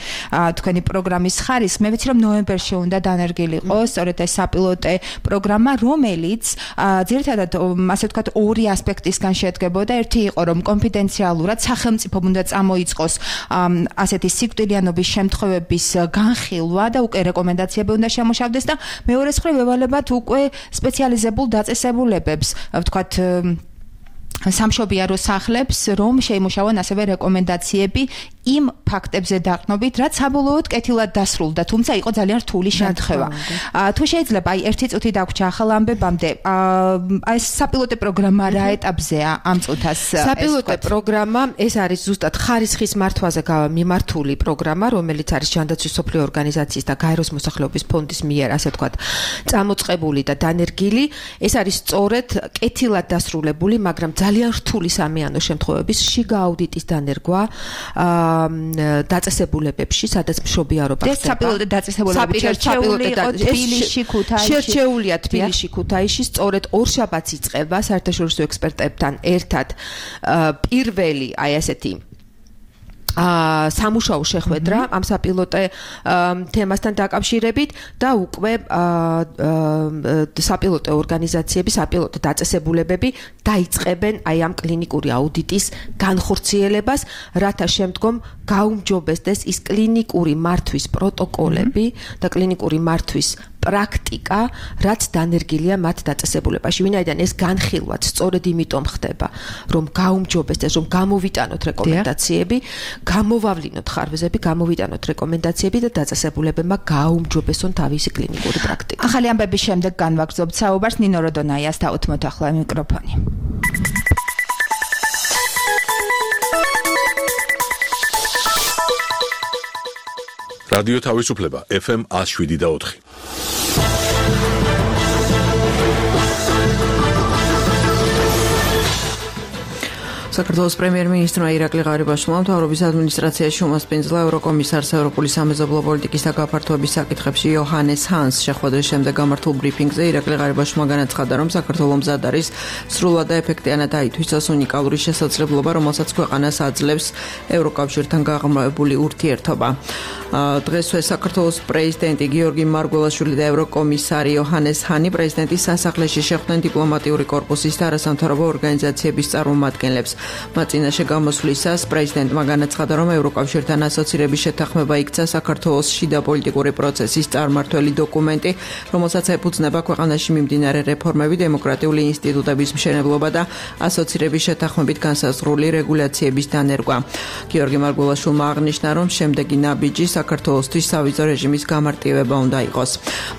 თქვენი პროგრამის ხარისხს. მე ვიცი რომ ნოემბერში უნდა დანერგილიყო სწორედ ეს საპილოტე პროგრამა, რომელიც ძირითადად ასე ვთქვათ ორი ასპექტისგან შედგებოდა. ერთი იყო რომ კონფიდენციალურად სახელმწიფომ უნდა წამოიწყოს ასეთი სიკვდილიანობის შემთხვევების განხილვა და უკვე რეკომენდაციები უნდა შემოშავდეს და მეორე მხრივ ევალებათ უკვე სპეციალიზებულ დაწესებულებებს, ვთქვათ სამშობიარო სახლებს, რომ შეიმუშავონ ასევე რეკომენდაციები იმ ფაქტებზე დაყრდნობით, რაც საბოლოოდ კეთილად დასრულდა, თუმცა იყო ძალიან რთული შემთხვევა. თუ შეიძლება აი ერთი წუთი დაგვრჩა ახალ ამბებამდე, აი საპილოტე პროგრამა რა ეტაპზეა ამ წუთას? საპილოტე პროგრამა ეს არის ზუსტად ხარისხის მართვაზე მიმართული პროგრამა, რომელიც არის ჯანდაცვის მსოფლიო ორგანიზაციის და გაეროს მოსახლეობის ფონდის მიერ, ასე ვთქვათ, წამოწყებული და დანერგილი. ეს არის სწორედ კეთილად დასრულებული, მაგრამ ძალიან რთული სამიანო შემთხვევების შიგა აუდიტის დანერგვა. დაწესებულებებში, სადაც მშობიარობა ხდება. ეს sapilotო დაწესებულებები შერჩეული იყო თბილისში, ქუთაისში. შერჩეულია თბილისში, ქუთაისში, სწორედ ორშაბათს იწყება საერთაშორისო ექსპერტებთან ერთად პირველი აი ასეთი აა სამუშაო შეხვედრა ამ საპილოტე თემასთან დაკავშირებით და უკვე აა საპილოტე ორგანიზაციები, საპილოტე დაწესებულებები დაიწყებენ აი ამ კლინიკური აუდიტის განხორციელებას, რათა შემდგომ გაუმჯობესდეს ის კლინიკური მართვის პროტოკოლები და კლინიკური მართვის პრაქტიკა, რაც დანერგილია მათ დაწესებულებაში. ვინაიდან ეს განხილვაც სწორედ იმიტომ ხდება, რომ გაუმჯობესდეს, რომ გამოვიტანოთ რეკომენდაციები, გამოვავლინოთ ხარვეზები, გამოვიტანოთ რეკომენდაციები და დაწესებულებებმა გაუმჯობესონ თავისი კლინიკური პრაქტიკა. ახალი ამბების შემდეგ განვაგრძობთ საუბარს. ნინო როდონაიას დაუთმოთ ახლა მიკროფონი. რადიო თავისუფლება ეფ ემ one oh seven და four. საქართველოს პრემიერ-მინისტრმა ირაკლი ღარიბაშვილმა მთავრობის ადმინისტრაციაში უმასპინძლა ევროკომისარს ევროპული სამეზობლო პოლიტიკის და გაფართოების საკითხებში იოჰანეს ჰანს შეხვედრის შემდეგ გამართულ ბრიფინგზე ირაკლი ღარიბაშვილმა განაცხადა, რომ საქართველოს მზად არის სრულად და ეფექტიანად აითვისოს უნიკალური შესაძლებლობა, რომელსაც ქვეყანას აძლევს ევროკავშირთან გაღრმავებული ურთიერთობა. დღესვე საქართველოს პრეზიდენტი გიორგი მარგველაშვილი და ევროკომისარი იოჰანეს ჰანი პრეზიდენტის სასახლეში შეხვდნენ დიპლომატიური კორპუსის და არასამთავრობო ორგანიზაციების წარმომადგენლებს. მათ წინაშე გამოსვლისას პრეზიდენტმა განაცხადა, რომ ევროკავშირთან ასოცირების შეთანხმება იქცა საქართველოს შიდა პოლიტიკური პროცესის წარმართველი დოკუმენტი, რომელსაც ეფუძნება ქვეყანაში მიმდინარე რეფორმები, დემოკრატიული ინსტიტუტების მშენებლობა და ასოცირების შეთანხმებით განსაზღვრული რეგულაციების დანერგვა. გიორგი მარგველაშვილმა აღნიშნა, რომ შემდეგი ნაბიჯი საქართველოსთვის სავიზო რეჟიმის გამარტივება უნდა იყოს.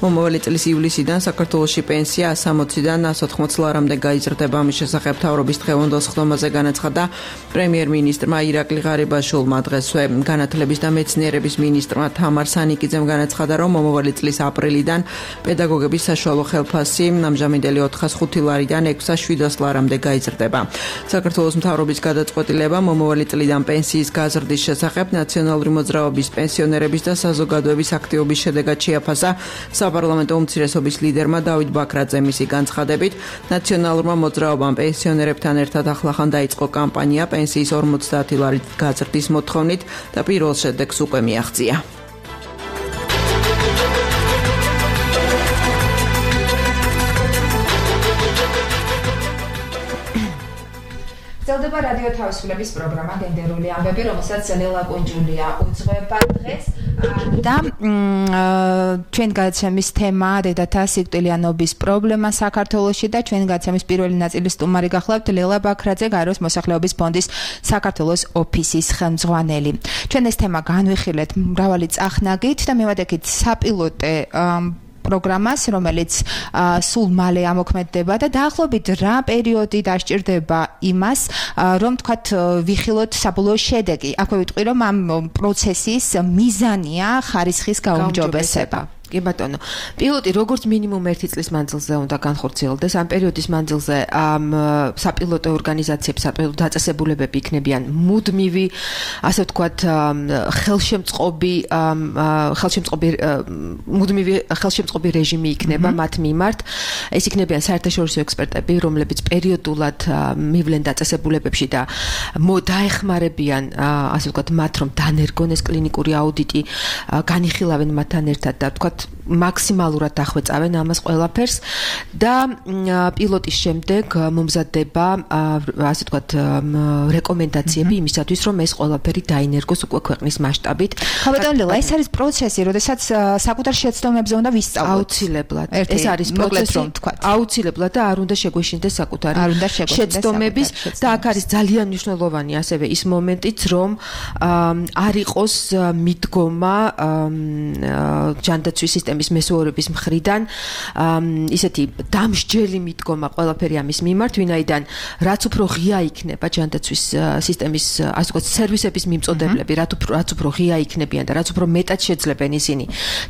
მომავალი წლის ივლისიდან საქართველოში პენსია one hundred sixty-დან one hundred eighty ლარამდე გაიზრდება. ამის შესახებ მთავრობის დღევანდელ სხდომაზე განაცხადა პრემიერ-მინისტრმა ირაკლი ღარიბაშვილმა. დღესვე განათლების და მეცნიერების მინისტრმა თამარ სანიკიძემ განაცხადა, რომ მომავალი წლის აპრილიდან პედაგოგების საშუალო ხელფასი ამჟამინდელი four hundred five ლარიდან six hundred seventy ლარამდე გაიზრდება. საქართველოს მთავრობის გადაწყვეტილება მომავალი წლიდან პენსიის გაზრდის შესახებ ნაციონალური მოძრაობის, პენსიონერების და საზოგადოების აქტივობის შედეგად შეაფასა საპარლამენტო უმცირესობის ლიდერმა დავით ბაქრაძემ. მისი განცხადებით, ნაციონალურმა მოძრაობამ პენსიონერებთან ერთად ახლახან დაიწყო კამპანია პენსიის forty ლარით გაზრდის მოთხოვნით და პირველ შედეგს უკვე მიაღწია. ძლდება რადიო თავისუფლების პროგრამა გენდერული ამბები, რომელსაც ლელა კუნჯულია უძღვება დღეს და ჩვენ გადაცემის თემა დედათა სიკვდილიანობის პრობლემა საქართველოში და ჩვენ გადაცემის პირველი ნაწილის სტუმარი გახლავთ ლელა ბაქრაძე, გაეროს მოსახლეობის ფონდის საქართველოს ოფისის ხელმძღვანელი. ჩვენ ეს თემა განვიხილეთ მრავალი წახნაგით და მივადექით საპილოტე პროგრამას, რომელიც სულ მალე ამოქმედდება და დაახლოებით რა პერიოდი დასჭირდება იმას, რომ თქვათ ვიხილოთ საბოლოო შედეგი. აქვე ვიტყვი, რომ ამ პროცესის მიზანია ხარისხის გაუმჯობესება. კი ბატონო, პილოტი როგორც მინიმუმ ერთი წლის მანძილზე უნდა განხორციელდეს. ამ პერიოდის მანძილზე ამ საპილოტო ორგანიზაციებს, საპილოტო დაწესებულებები იქნებიან მუდმივი, ასე ვთქვათ, ხელშემწყობი, ხელშემწყობი მუდმივი ხელშემწყობი რეჟიმი იქნება მათ მიმართ. ეს იქნებიან საერთაშორისო ექსპერტები, რომლებიც პერიოდულად მივლენ დაწესებულებებში და დაეხმარებიან, ასე ვთქვათ, მათ რომ დანერგონ ეს კლინიკური აუდიტი, განიხილავენ მათთან ერთად და ვთქვათ მაქსიმალურად დახვეწავენ ამას ყველაფერს და პილოტის შემდეგ მომზადდება, ასე ვთქვათ, რეკომენდაციები იმისათვის, რომ ეს ყველაფერი დაინერგოს უკვე ქვეყნის მასშტაბით. ხო ბატონო ლელა, ეს არის პროცესი, როდესაც საკუთარ შეცდომებზე უნდა ვისწავლოთ. აუცილებლად. ეს არის პროცესი, აუცილებლად და არ უნდა შეგვეშინდეს საკუთარი შეცდომების და აქ არის ძალიან მნიშვნელოვანი ასევე ის მომენტიც, რომ არ იყოს მიდგომა ჯანდაცვის სისტემის სისტემის მესუარების მხრიდან ისეთი დამსჯელი მიდგომა ყველაფერი ამის მიმართ, ვინაიდან რაც უფრო ღია იქნება ჯანდაცვის სისტემის ასე ვთქვათ სერვისების მიმწოდებლები, რაც უფრო ღია იქნებიან და რაც უფრო მეტად შეძლებენ ისინი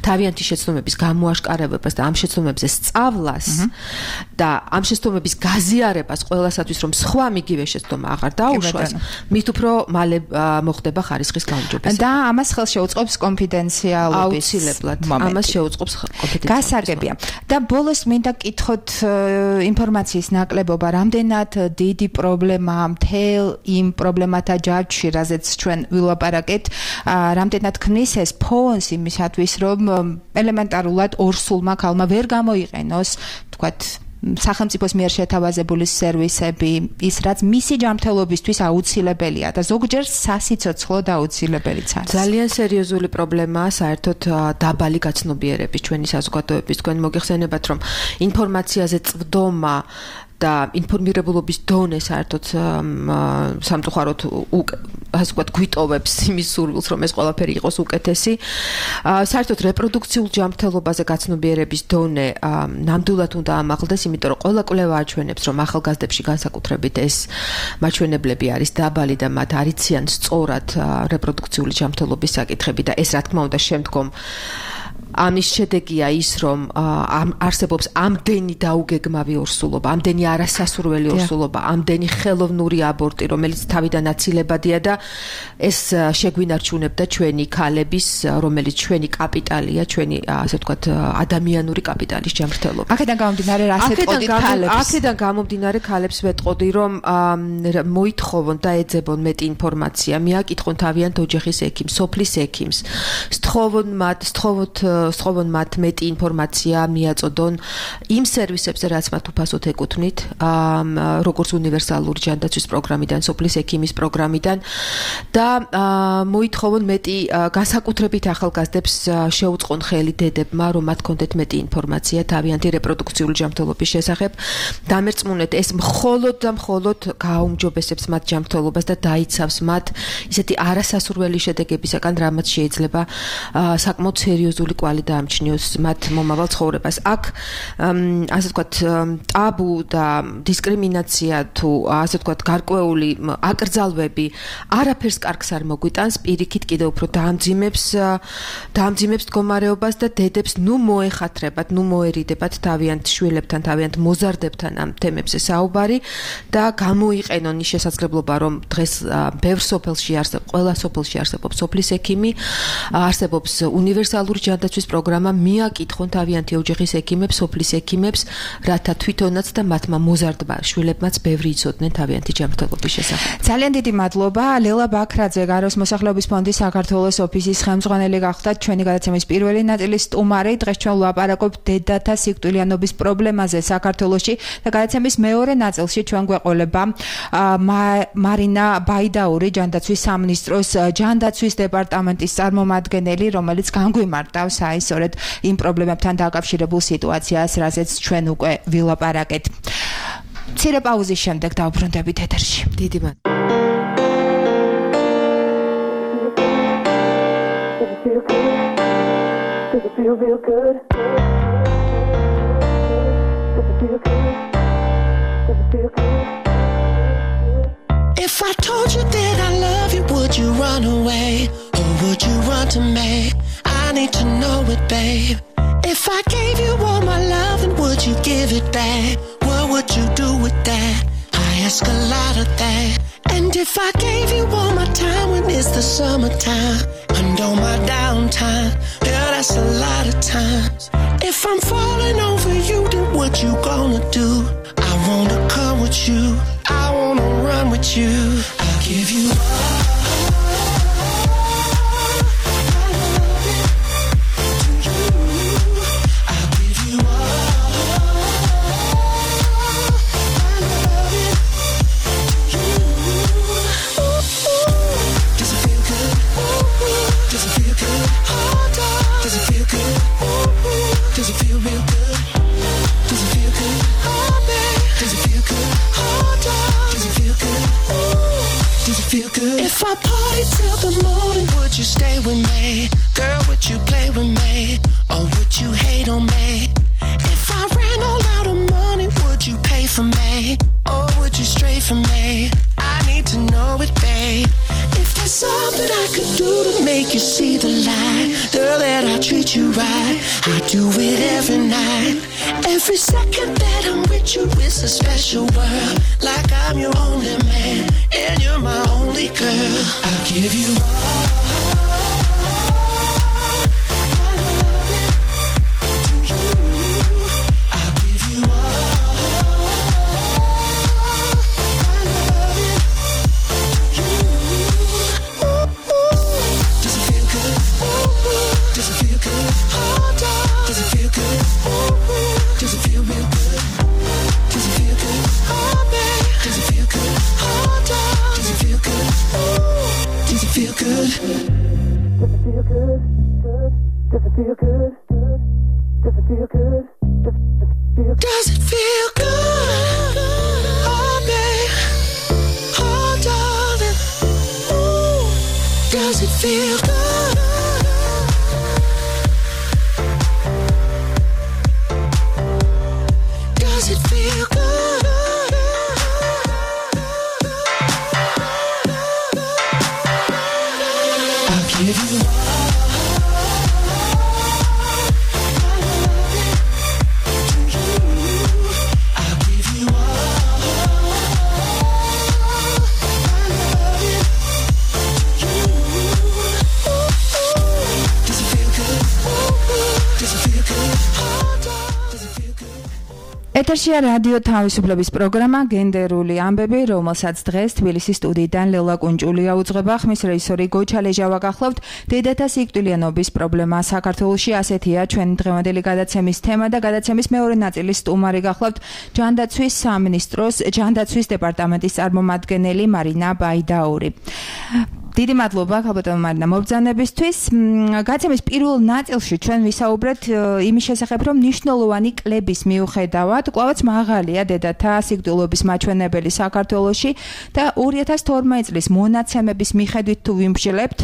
თავიანთი შეცდომების გამოაშკარებებას და ამ შეცდომებზე სწავლას და ამ შეცდომების გაზიარებას ყველასათვის, რომ სხვა მიგივე შეცდომა აღარ დაუშვას, მით უფრო მალე მოხდება ხარისხის გაუმჯობესება. და ამას ხელს შეუწყობს კონფიდენციალობის აუცილებლად. ამას შეუწყობს კონფიდენციალობის. გასაგებია. და ბოლოს მინდა კითხოთ ინფორმაციის ნაკლებობა, რამდენად დიდი პრობლემაა მთელ იმ პრობლემათა ჯაჭვში, რაზეც ჩვენ ვილაპარაკეთ, რამდენად ქმნის ეს ფონს იმისათვის, რომ ელემენტარულად ორსულმა ქალმა ვერ გამოიყენოს, თქვათ, სახელმწიფოს მიერ შეთავაზებული სერვისები, ის რაც მისი ჯანმრთელობისთვის აუცილებელია და ზოგჯერ სასიცოცხლოდ აუცილებელიც არის. ძალიან სერიოზული პრობლემაა საერთოდ დაბალი გაცნობიერების ჩვენი საზოგადოების. თქვენ მოგეხსენებათ, რომ ინფორმაციაზე წვდომა და ინფორმირებულობის დონე საერთოდ სამწუხაროდ ასე ვთქვათ გვიტოვებს იმის სურვილს, რომ ეს ყველაფერი იყოს უკეთესი. საერთოდ რეპროდუქციულ ჯანმრთელობაზე გაცნობიერების დონე ნამდვილად უნდა ამაღლდეს, იმიტომ რომ ყველა კვლევა აჩვენებს, რომ ახალგაზრდებში განსაკუთრებით ეს მაჩვენებლები არის დაბალი და მათ არ იციან სწორად რეპროდუქციული ჯანმრთელობის საკითხები და ეს რა თქმა უნდა შემდგომ ამის შედეგია ის, რომ არსებობს ამდენი დაუგეგმავი ორსულობა, ამდენი არასასურველი ორსულობა, ამდენი ხელოვნური აბორტი, რომელიც თავიდან აცილებადია და ეს შეგვინარჩუნებდა ჩვენი ქალების, რომელიც ჩვენი კაპიტალია, ჩვენი ასე ვთქვათ, ადამიანური კაპიტალის ჯანმრთელობა. აქედან გამომდინარე, რას ეტყოდით ქალებს? აქედან გამომდინარე ქალებს ვეტყოდი, რომ მოითხოვონ და ეძებონ მეტი ინფორმაცია, მიაკითხონ თავიანთ ოჯახის ექიმს, სოფლის ექიმს, სთხოვონ მათ, სთხოვოთ სთხოვონ მათ მეტი ინფორმაცია, მიაწოდონ იმ სერვისებზე, რაც მათ უფასოდ ეკუთვნით, როგორც უნივერსალური ჯანდაცვის პროგრამიდან, სოფლის ექიმის პროგრამიდან და მოითხოვონ მეტი განსაკუთრებით ახალგაზრდებს შეუწყონ ხელი დედებმა, რომ მათ კონდეთ მეტი ინფორმაცია თავიანთი რეპროდუქციული ჯანმრთელობის შესახებ. დამერწმუნეთ, ეს მხოლოდ და მხოლოდ გააუმჯობესებს მათ ჯანმრთელობას და დაიცავს მათ ისეთი არასასურველი შედეგებისაგან, რამაც შეიძლება საკმაოდ სერიოზული დაამჩნიოს მათ მომავალ ცხოვრებას. აქ ასე ვთქვათ, ტაბუ და დისკრიმინაცია თუ ასე ვთქვათ, გარკვეული აკრძალვები არაფერს კარგს არ მოგვიტანს, პირიქით კიდევ უფრო დაამძიმებს დაამძიმებს მდგომარეობას და დედებს ნუ მოეხათრებათ, ნუ მოერიდებათ თავიანთ შვილებთან, თავიანთ მოზარდებთან ამ თემებზე საუბარი და გამოიყენონ ის შესაძლებლობა, რომ დღეს ბევრ სოფელში არსებობს, ყველა სოფელში არსებობს სოფლის ექიმი, არსებობს უნივერსალური ჯანდაცვის პროგრამა, მიაკითხონ თავიანთი ოჯახის ექიმებს, სოფლის ექიმებს, რათა თვითონაც და მათმა მოზარდ შვილებმაც ბევრი იცოდნენ თავიანთი ჯანმრთელობის შესახებ. ძალიან დიდი მადლობა. ლელა ბაქრაძე, გაროს მოსახლეობის ფონდის საქართველოს ოფისის ხელმძღვანელი გახდათ ჩვენი გადაცემის პირველი ნაწილის სტუმარი. დღეს ჩვენ ვლაპარაკობთ დედათა სიკვდილიანობის პრობლემაზე საქართველოში და გადაცემის მეორე ნაწილში ჩვენ გვეყოლება მარინა ბაიდაური, ჯანდაცვის სამინისტროს ჯანდაცვის დეპარტამენტის წარმომადგენელი, რომელიც განგვიმარტავს აი სწორედ იმ პრობლემებთან დაკავშირებულ სიტუაციას, რაზეც ჩვენ უკვე ვილაპარაკეთ. მცირე პაუზის შემდეგ დავბრუნდებით ეთერში. დიდი მადლობა. Does it feel real good? Does it feel good? Does it feel good? If I told you that I love you, would you run away? Or would you run to me? I need to know it, babe. If I gave you all my love, then would you give it back? What would you do with that? I ask a lot of that. And if I gave you all my time when it's the summertime and all my downtime, yeah, that's a lot of times. If I'm falling over you, then what you gonna do? I wanna come with you, I wanna run with you. I'll give you all. Does it feel good? If I party till the morning, would you stay with me? Girl, would you play with me? Or would you hate on me? If I ran all out of money, would you pay for me? Or would you stray from me? I need to know it, babe. If there's something I could do to make you see the light, girl, that I treat you right, I do it every night. Every second that I'm with you is a special world. Like I'm your only man and you're my only girl. I'll give you all. Feel good. Does it feel good? Does it feel good? Does it feel good? Does it feel good? Oh, babe. Oh, darling. Ooh. Does it feel good? Does it feel good? Give you all. I'll give you all. Does it feel good? Does it feel good? Does it feel good? ეთერშია რადიო თავისუფლების პროგრამა გენდერული ამბები, რომელსაც დღეს თბილისის სტუდიიდან ლელა კუნჭულია უძღვება. ხმის რეჟისორი გოჩა ლეჟავა გახლავთ. დედათა სიკვდილიანობის პრობლემა საქართველოში, ასეთია ჩვენი დღევანდელი გადაცემის თემა და გადაცემის მეორე ნაწილის სტუმარი გახლავთ ჯანდაცვის სამინისტროს ჯანდაცვის დეპარტამენტის წარმომადგენელი მარინა ბაიდაური. დიდი მადლობა ხალბატონო მარინა მობრძანებისთვის. გადაცემის პირველ ნაწილში ჩვენ ვისაუბრეთ იმის შესახებ, რომ მნიშვნელოვანი კლების მიუხედავად კვლავაც მაღალია დედათა სიკვდილობის მაჩვენებელი საქართველოში და ორი ათას თორმეტი წლის მონაცემების მიხედვით თუ ვიმსჯელებთ,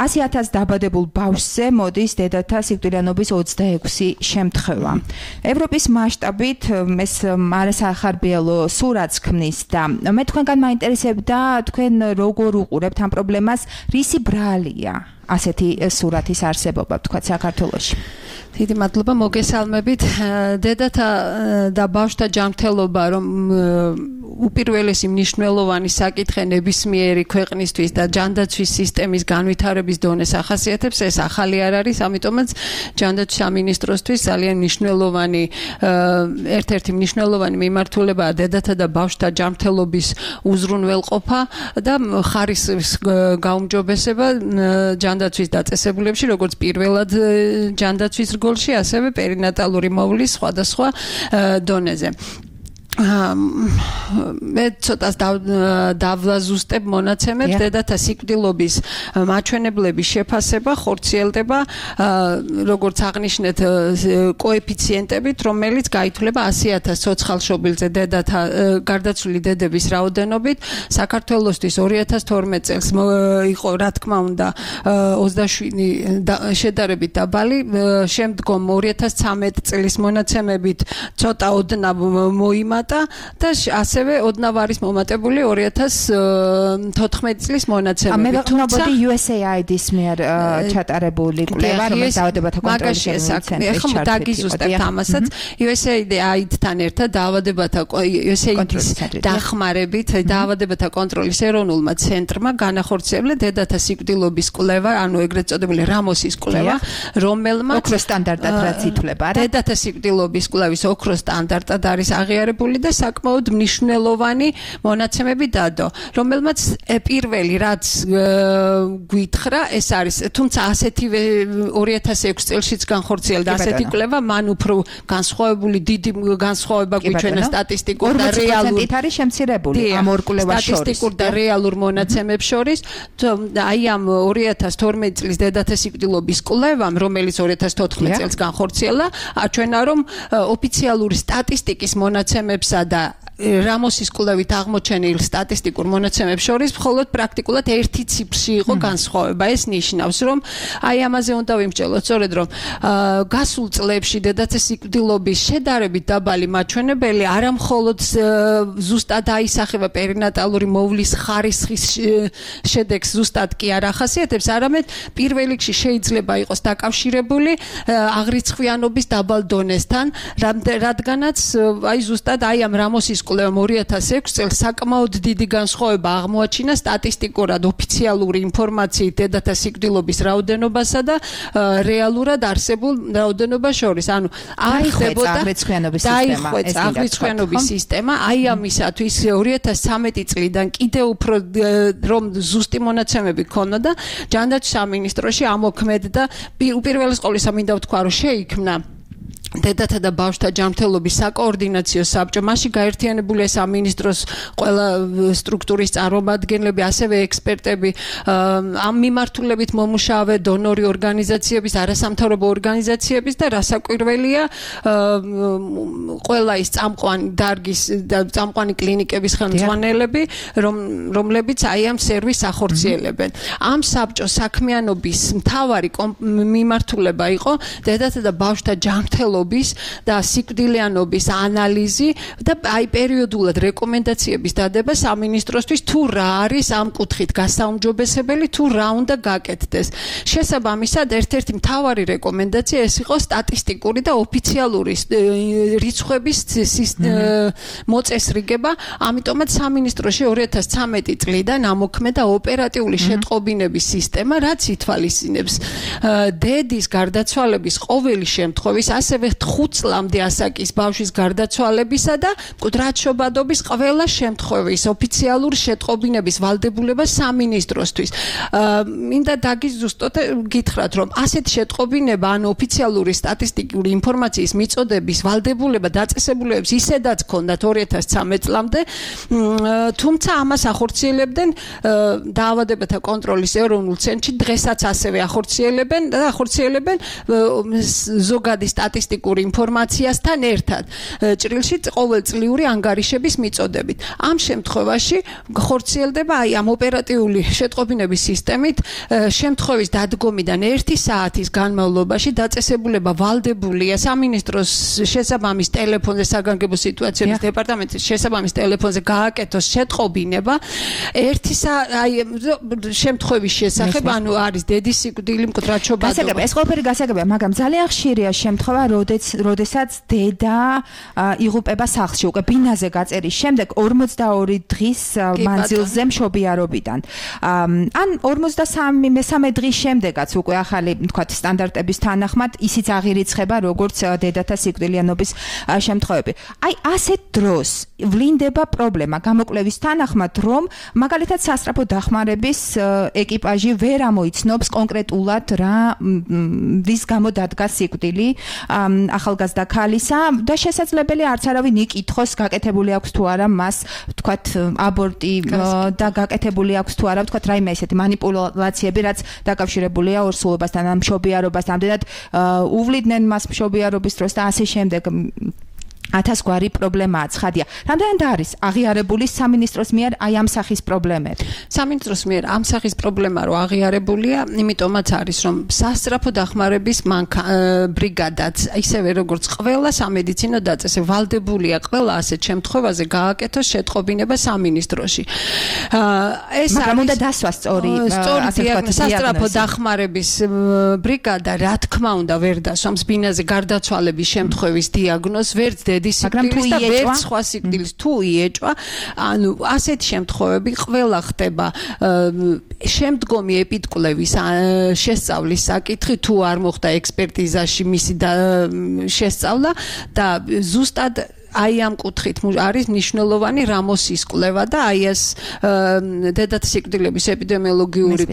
ასი ათას დაბადებულ ბავშვზე მოდის დედათა სიკვდილიანობის ოცდაექვსი შემთხვევა. ევროპის მასშტაბით ეს არასახარბიელო სურათს ქმნის და მე თქვენგან მაინტერესებდა თქვენ როგორ უყურებთ ამ პრობლემას, რისი ბრალია ასეთი სურათის არსებობა თქვა საქართველოში. დიდი მადლობა მოგესალმებით. დედათა და ბავშვთა ჯანმრთელობა, რომ უპირველესი მნიშვნელოვანი საკითხი ნებისმიერი ქვეყნისთვის და ჯანდაცვის სისტემის განვითარების დონეს ახასიათებს, ეს ახალი არ არის, ამიტომაც ჯანდაცვის სამინისტროსთვის ძალიან მნიშვნელოვანი ერთ-ერთი მნიშვნელოვანი მიმართულებაა დედათა და ბავშვთა ჯანმრთელობის უზრუნველყოფა და ხარისხის გაუმჯობესება ჯანდაცვის დაწესებულებში, როგორც პირველად ჯანდაცვის რგოლში, ასევე პერინატალური მოვლის სხვადასხვა დონეზე. მე ცოტას დავაზუსტებ მონაცემებს. დედათა სიკვდილობის მაჩვენებლების შეფასება ხორციელდება როგორც აღნიშნეთ კოეფიციენტებით, რომელიც გაითვლება ასი ათას ცოცხალშობილზე დედათა გარდაცვლილი დედების რაოდენობით. საქართველოსთვის ორი ათას თორმეტი წელს იყო, რა თქმა უნდა, ოცდაშვიდი შედარებით დაბალი, შემდგომ ორი ათას ცხრამეტი წლის მონაცემებით ცოტა ოდნავ მოიმატა და ასევე ოდნავ არის მომატებული ორი ათას თოთხმეტი წლის მონაცემები. მე ვიყნობოდი U S A I D-ის მიერ ჩატარებული კვლევა, რომელიც დაავადებათა კონტროლის ცენტრში. ეხლა დაგიზუსტებთ ამასაც. U S A I D-თან ერთად დაავადებათა U S A I D-ის დახმარებით დაავადებათა კონტროლის ეროვნულმა ცენტრმა განახორციელა დედათა სიკვდილობის კვლევა, ანუ ეგრეთ წოდებული რამოსის კვლევა, რომელმაც ოქროს სტანდარტად რაც ითვლება, რა? დედათა სიკვდილობის კვლევის ოქროს სტანდარტად არის აღიარებული და საკმაოდ მნიშვნელოვანი მონაცემები დადო, რომელმაც პირველი რაც გვითხრა, ეს არის, თუმცა ასეთივე ორი ათას ექვსი წელშიც განხორციელდა ასეთი კვლევა, მან უფრო განსხვავებული დიდი განსხვავება გვიჩვენა სტატისტიკურ და რეალურ არის შემცირებული ამ ორ კვლევას შორის. სტატისტიკურ და რეალურ მონაცემებს შორის, აი ამ ორი ათას თორმეტი წლის დედათა სიკვდილობის კვლევამ, რომელიც ორი ათას თოთხმეტი წელს განხორციელა, აჩვენა, რომ ოფიციალური სტატისტიკის მონაცემებსა და რამოსის კვლევით აღმოჩენილ სტატისტიკურ მონაცემებს შორის მხოლოდ პრაქტიკულად ერთი ციფრში იყო განსხვავება. ეს ნიშნავს, რომ აი ამაზე უნდა ვიმსჯელოთ, სწორედ რომ გასულ წლებში დედათა სიკვდილობის შედარებით დაბალი მაჩვენებელი არა მხოლოდ ზუსტად აისახება პერინატალური მოვლის ხარისხის შედეგს ზუსტად კი არ ახასიათებს, არამედ პირველ რიგში შეიძლება იყოს დაკავშირებული აღრიცხვიანობის დაბალ დონესთან, რადგანაც აი ზუსტად აი ამ რამოსის კვლევამ ორი ათას ექვსი წელს საკმაოდ დიდი განსხვავება აღმოაჩინა სტატისტიკურად ოფიციალური ინფორმაციით დედათა სიკვდილობის რაოდენობასა და რეალურად არსებულ რაოდენობას შორის. ანუ არ ხდებოდა დაიხვეწა აღრიცხვიანობის სისტემა. აი ამისათვის ორი ათას ცხრამეტი წლიდან კიდევ უფრო რომ ზუსტი მონაცემები ქონოდა, ჯანდაცვის სამინისტროში ამოქმედდა უპირველეს ყოვლისა მინდა ვთქვა, რომ შეიქმნა დედათა და ბავშვთა ჯანმრთელობის საკოორდინაციო საბჭო. მასში გაერთიანებულია სამინისტროს ყველა სტრუქტურის წარმომადგენლები, ასევე ექსპერტები, ამ მიმართულებით მომუშავე დონორი ორგანიზაციების, არასამთავრობო ორგანიზაციების და რასაკვირველია ყველა ის წამყვანი დარგის და წამყვანი კლინიკების ხელმძღვანელები, რომლებიც აი ამ სერვისს ახორციელებენ. ამ საბჭოს საქმიანობის მთავარი მიმართულება იყო დედათა და ბავშვთა ჯანმრთელობის და სიკვდილიანობის ანალიზი და აი პერიოდულად რეკომენდაციების დადება სამინისტროსთვის თუ რა არის ამ კუთხით გასაუმჯობესებელი, თუ რა უნდა გაკეთდეს. შესაბამისად, ერთ-ერთი მთავარი რეკომენდაცია ეს იყო სტატისტიკური და ოფიციალური რიცხვების მოწესრიგება, ამიტომაც სამინისტროში ორი ათას ცხრამეტი წლიდან ამოქმედა ოპერატიული შეტყობინების სისტემა, რაც ითვალისწინებს დედის გარდაცვალების ყოველი შემთხვევის, ასევე ხუთ წლამდე ასაკის ბავშვის გარდაცვალებისა და მკვდრადშობადობის ყველა შემთხვევის ოფიციალურ შეტყობინების ვალდებულება სამინისტროსთვის. მინდა დაგიზუსტოთ, გითხრათ, რომ ასეთი შეტყობინება ან ოფიციალური სტატისტიკური ინფორმაციის მიწოდების ვალდებულება დაწესებულებებს ისედაც ჰქონდათ ორი ათას ცხრამეტ წლამდე, თუმცა ამას ახორციელებდნენ დაავადებათა კონტროლის ეროვნულ ცენტრში, დღესაც ასევე ახორციელებენ და ახორციელებენ ზოგადი სტატისტიკური ინფორმაციასთან ერთად ჭრილში ყოველწლიური ანგარიშების მიწოდებით. ამ შემთხვევაში ხორციელდება აი ამ ოპერატიული შეტყობინების სისტემით შემთხვევის დადგომიდან ერთი საათის განმავლობაში დაწესებულება ვალდებულია სამინისტროს შესაბამის ტელეფონზე, საგანგებო სიტუაციების დეპარტამენტის შესაბამის ტელეფონზე გააკეთოს შეტყობინება ერთი აი შემთხვევის შესახებ, ანუ არის დედის სიკვდილი, მკვდრადშობადობა. ეს ყველაფერი გასაგებია, მაგრამ ძალიან ხშირია შემთხვევა, როდესაც დედა იღუპება სახლში, უკვე ბინაზე გაწერის შემდეგ ორმოცდაორი დღის მანძილზე მშობიარობიდან. ან ორმოცდასამი მესამე დღის შემდეგაც უკვე ახალი, თქვათ, სტანდარტების თანახმად ისიც აღირიცხება, როგორც დედათა სიკვდილიანობის შემთხვევები. აი ასეთ დროს ვლინდება პრობლემა გამოკვლევის თანახმად, რომ მაგალითად სასწრაფო დახმარების ეკიპაჟი ვერ ამოიცნობს კონკრეტულად რა რის გამო დადგა სიკვდილი ახალგაზრდა ქალისა და შესაძლებელია არც არავინ იკითხოს გაკეთებული აქვს თუ არა მას, თქვათ, აბორტი და გაკეთებული აქვს თუ არა, თქვათ, რაიმე ესეთი მანიპულაციები, რაც დაკავშირებულია ორსულობასთან, მშობიარობასთან, ამდენად უვლიდნენ მას მშობიარობის დროს და ასე შემდეგ. ათასგვარი პრობლემაა, ცხადია. რამდენად არის აღიარებული სამინისტროს მიერ აი ამ სახის პრობლემები? სამინისტროს მიერ ამ სახის პრობლემა რო აღიარებულია, იმიტომაც არის, რომ სასწრაფო დახმარების მანქანა ბრიგადაც, ისევე როგორც ყველა სამედიცინო დაწესება ვალდებულია ყველა ასეთ შემთხვევაზე გააკეთოს შეტყობინება სამინისტროში. ეს მაგრამ უნდა დასვას სწორი ასე ვთქვათ სასწრაფო დახმარების ბრიგადა, რა თქმა უნდა, ვერ დასვამს ბინაზე გარდაცვალების შემთხვევის დიაგნოზს, ვერც მაგრამ თუ იეჭვა სხვა სიკვდილის თუ იეჭვა, ანუ ასეთი შემთხვევები ყველა ხდება შემდგომი ეპიდკვლევის შესწავლის საკითხი, თუ არ მოხდა ექსპერტიზაში მისი შესწავლა და ზუსტად აი ამ კუთხით არის მნიშვნელოვანი რამოსის კვლევა და აი ეს დედათა სიკვდილების ეპიდემიოლოგიური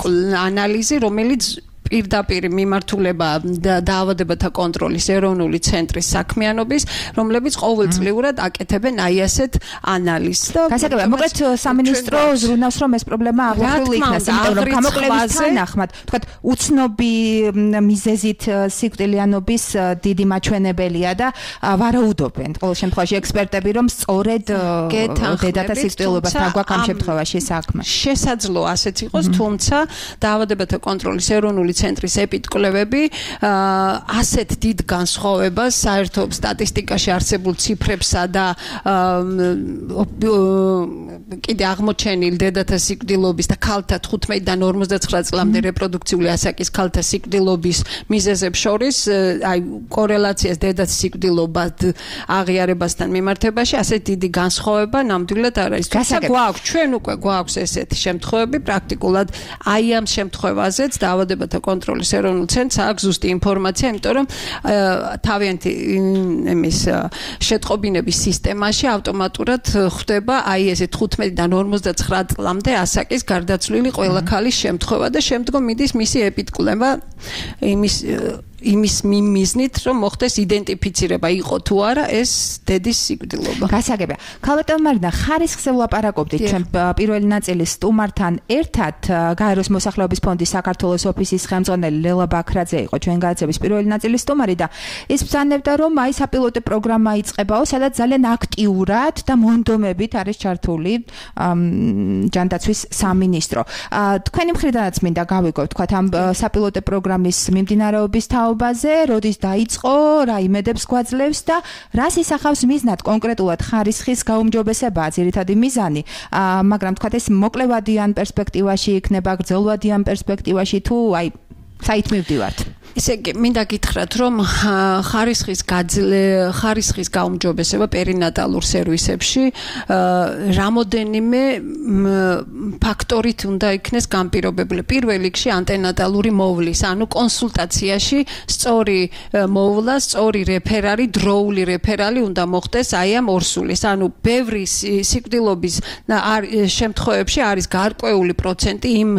ანალიზი, რომელიც პირდაპირ მიმართულება დაავადებათა კონტროლის ეროვნული ცენტრის საქმიანობის, რომლებიც ყოველწლიურად აკეთებენ აი ასეთ ანალიზს და გასაგებია, მოკლედ სამინისტრო ზრუნავს, რომ ეს პრობლემა აღუხრული იქნას, იმიტომ რომ გამოკლების თანახმად, თქვათ, უცნობი მიზეზით სიკვდილიანობის დიდი მაჩვენებელია და ვარაუდობენ ყოველ შემთხვევაში ექსპერტები, რომ სწორედ დედათა სიკვდილობასთან გვაქვს ამ შემთხვევაში საქმე. შესაძლოა ასეც იყოს, თუმცა დაავადებათა კონტროლის ეროვნული ცენტრის ეპიდკვლევები ასეთ დიდ განსხვავებას საერთო სტატისტიკაში არსებულ ციფრებსა და კიდე აღმოჩენილ დედათა სიკვდილობის და ქალთა თხუთმეტიდან ორმოცდაცხრა წლამდე რეპროდუქციული ასაკის ქალთა სიკვდილობის მიზეზებს შორის აი კორელაციას დედათა სიკვდილობად აღიარებასთან მიმართებაში ასეთ დიდი განსხვავება ნამდვილად არ არის. თუმცა გვაქვს ჩვენ უკვე გვაქვს ესეთი შემთხვევები პრაქტიკულად აი ამ შემთხვევაზეც დაავადებათა კონტროლის ეროვნულ ცენტრს აქვს ზუსტი ინფორმაცია, იმიტომ რომ თავიანთი იმის შეტყობინების სისტემაში ავტომატურად ხდება აი ესე თხუთმეტიდან ორმოცდაცხრა წლამდე ასაკის გარდაცვლილი ყველა ქალის შემთხვევა და შემდგომ მიდის მისი ეპიდკვლევა იმის იმის მიმიზნით, რომ მოხდეს იდენტიფიცირება იყო თუ არა ეს დედის სიკვდილობა. გასაგებია. ქალბატონ მარინა, ხარისხზე ვლაპარაკობდით ჩვენ პირველი ნაწილის სტუმართან ერთად გაეროს მოსახლეობის ფონდის საქართველოს ოფისის ხელმძღვანელი ლელა ბაქრაძე იყო ჩვენ გადაცემის პირველი ნაწილის სტუმარი და ის ბრძანებდა, რომ აი საპილოტო პროგრამა იწყებაო, სადაც ძალიან აქტიურად და მონდომებით არის ჩართული ჯანდაცვის სამინისტრო. თქვენი მხრიდანაც მინდა გავიგოთ, თქვათ ამ საპილოტო პროგრამის მიმდინარეობის ზე, როდის დაიწყო, რა იმედებს გვაძლევს და რას ისახავს მიზნად კონკრეტულად ხარისხის გაუმჯობესებაა ძირითადი მიზანი, მაგრამ თქვათ ეს მოკლევადიან პერსპექტივაში იქნება, გრძელვადიან პერსპექტივაში თუ აი საით მივდივართ? ესე იგი, მინდა გითხრათ, რომ ხარისხის ხარისხის გაუმჯობესება პერინატალურ სერვისებში რამოდენიმე ფაქტორით უნდა იქნეს განპირობებული. პირველ რიგში ანტენატალური მოვლის, ანუ კონსულტაციაში სწორი მოვლა, სწორი რეფერალი, დროული რეფერალი უნდა მოხდეს აი ამ ორსულის. ანუ ბევრი სიკვდილობის შემთხვევებში არის გარკვეული პროცენტი იმ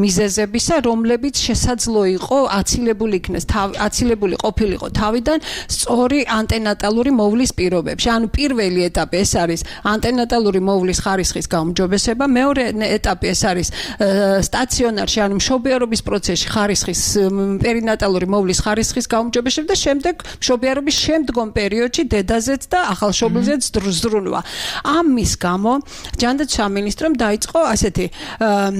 მიზეზებისა, რომლებიც შესაძლოა იყო აცილებული იქნეს, აცილებული ყოფილიყო თავიდან სწორი ანტენატალური მოვლის პირობებში. ანუ პირველი ეტაპი ეს არის ანტენატალური მოვლის ხარისხის გაუმჯობესება, მეორე ეტაპი ეს არის სტაციონარში, ანუ მშობიარობის პროცესში ხარისხის პერინატალური მოვლის ხარისხის გაუმჯობესება და შემდეგ მშობიარობის შემდგომ პერიოდში დედაზეც და ახალშობილზეც ზრუნვა. ამის გამო ჯანდაცვის სამინისტრომ დაიწყო ასეთი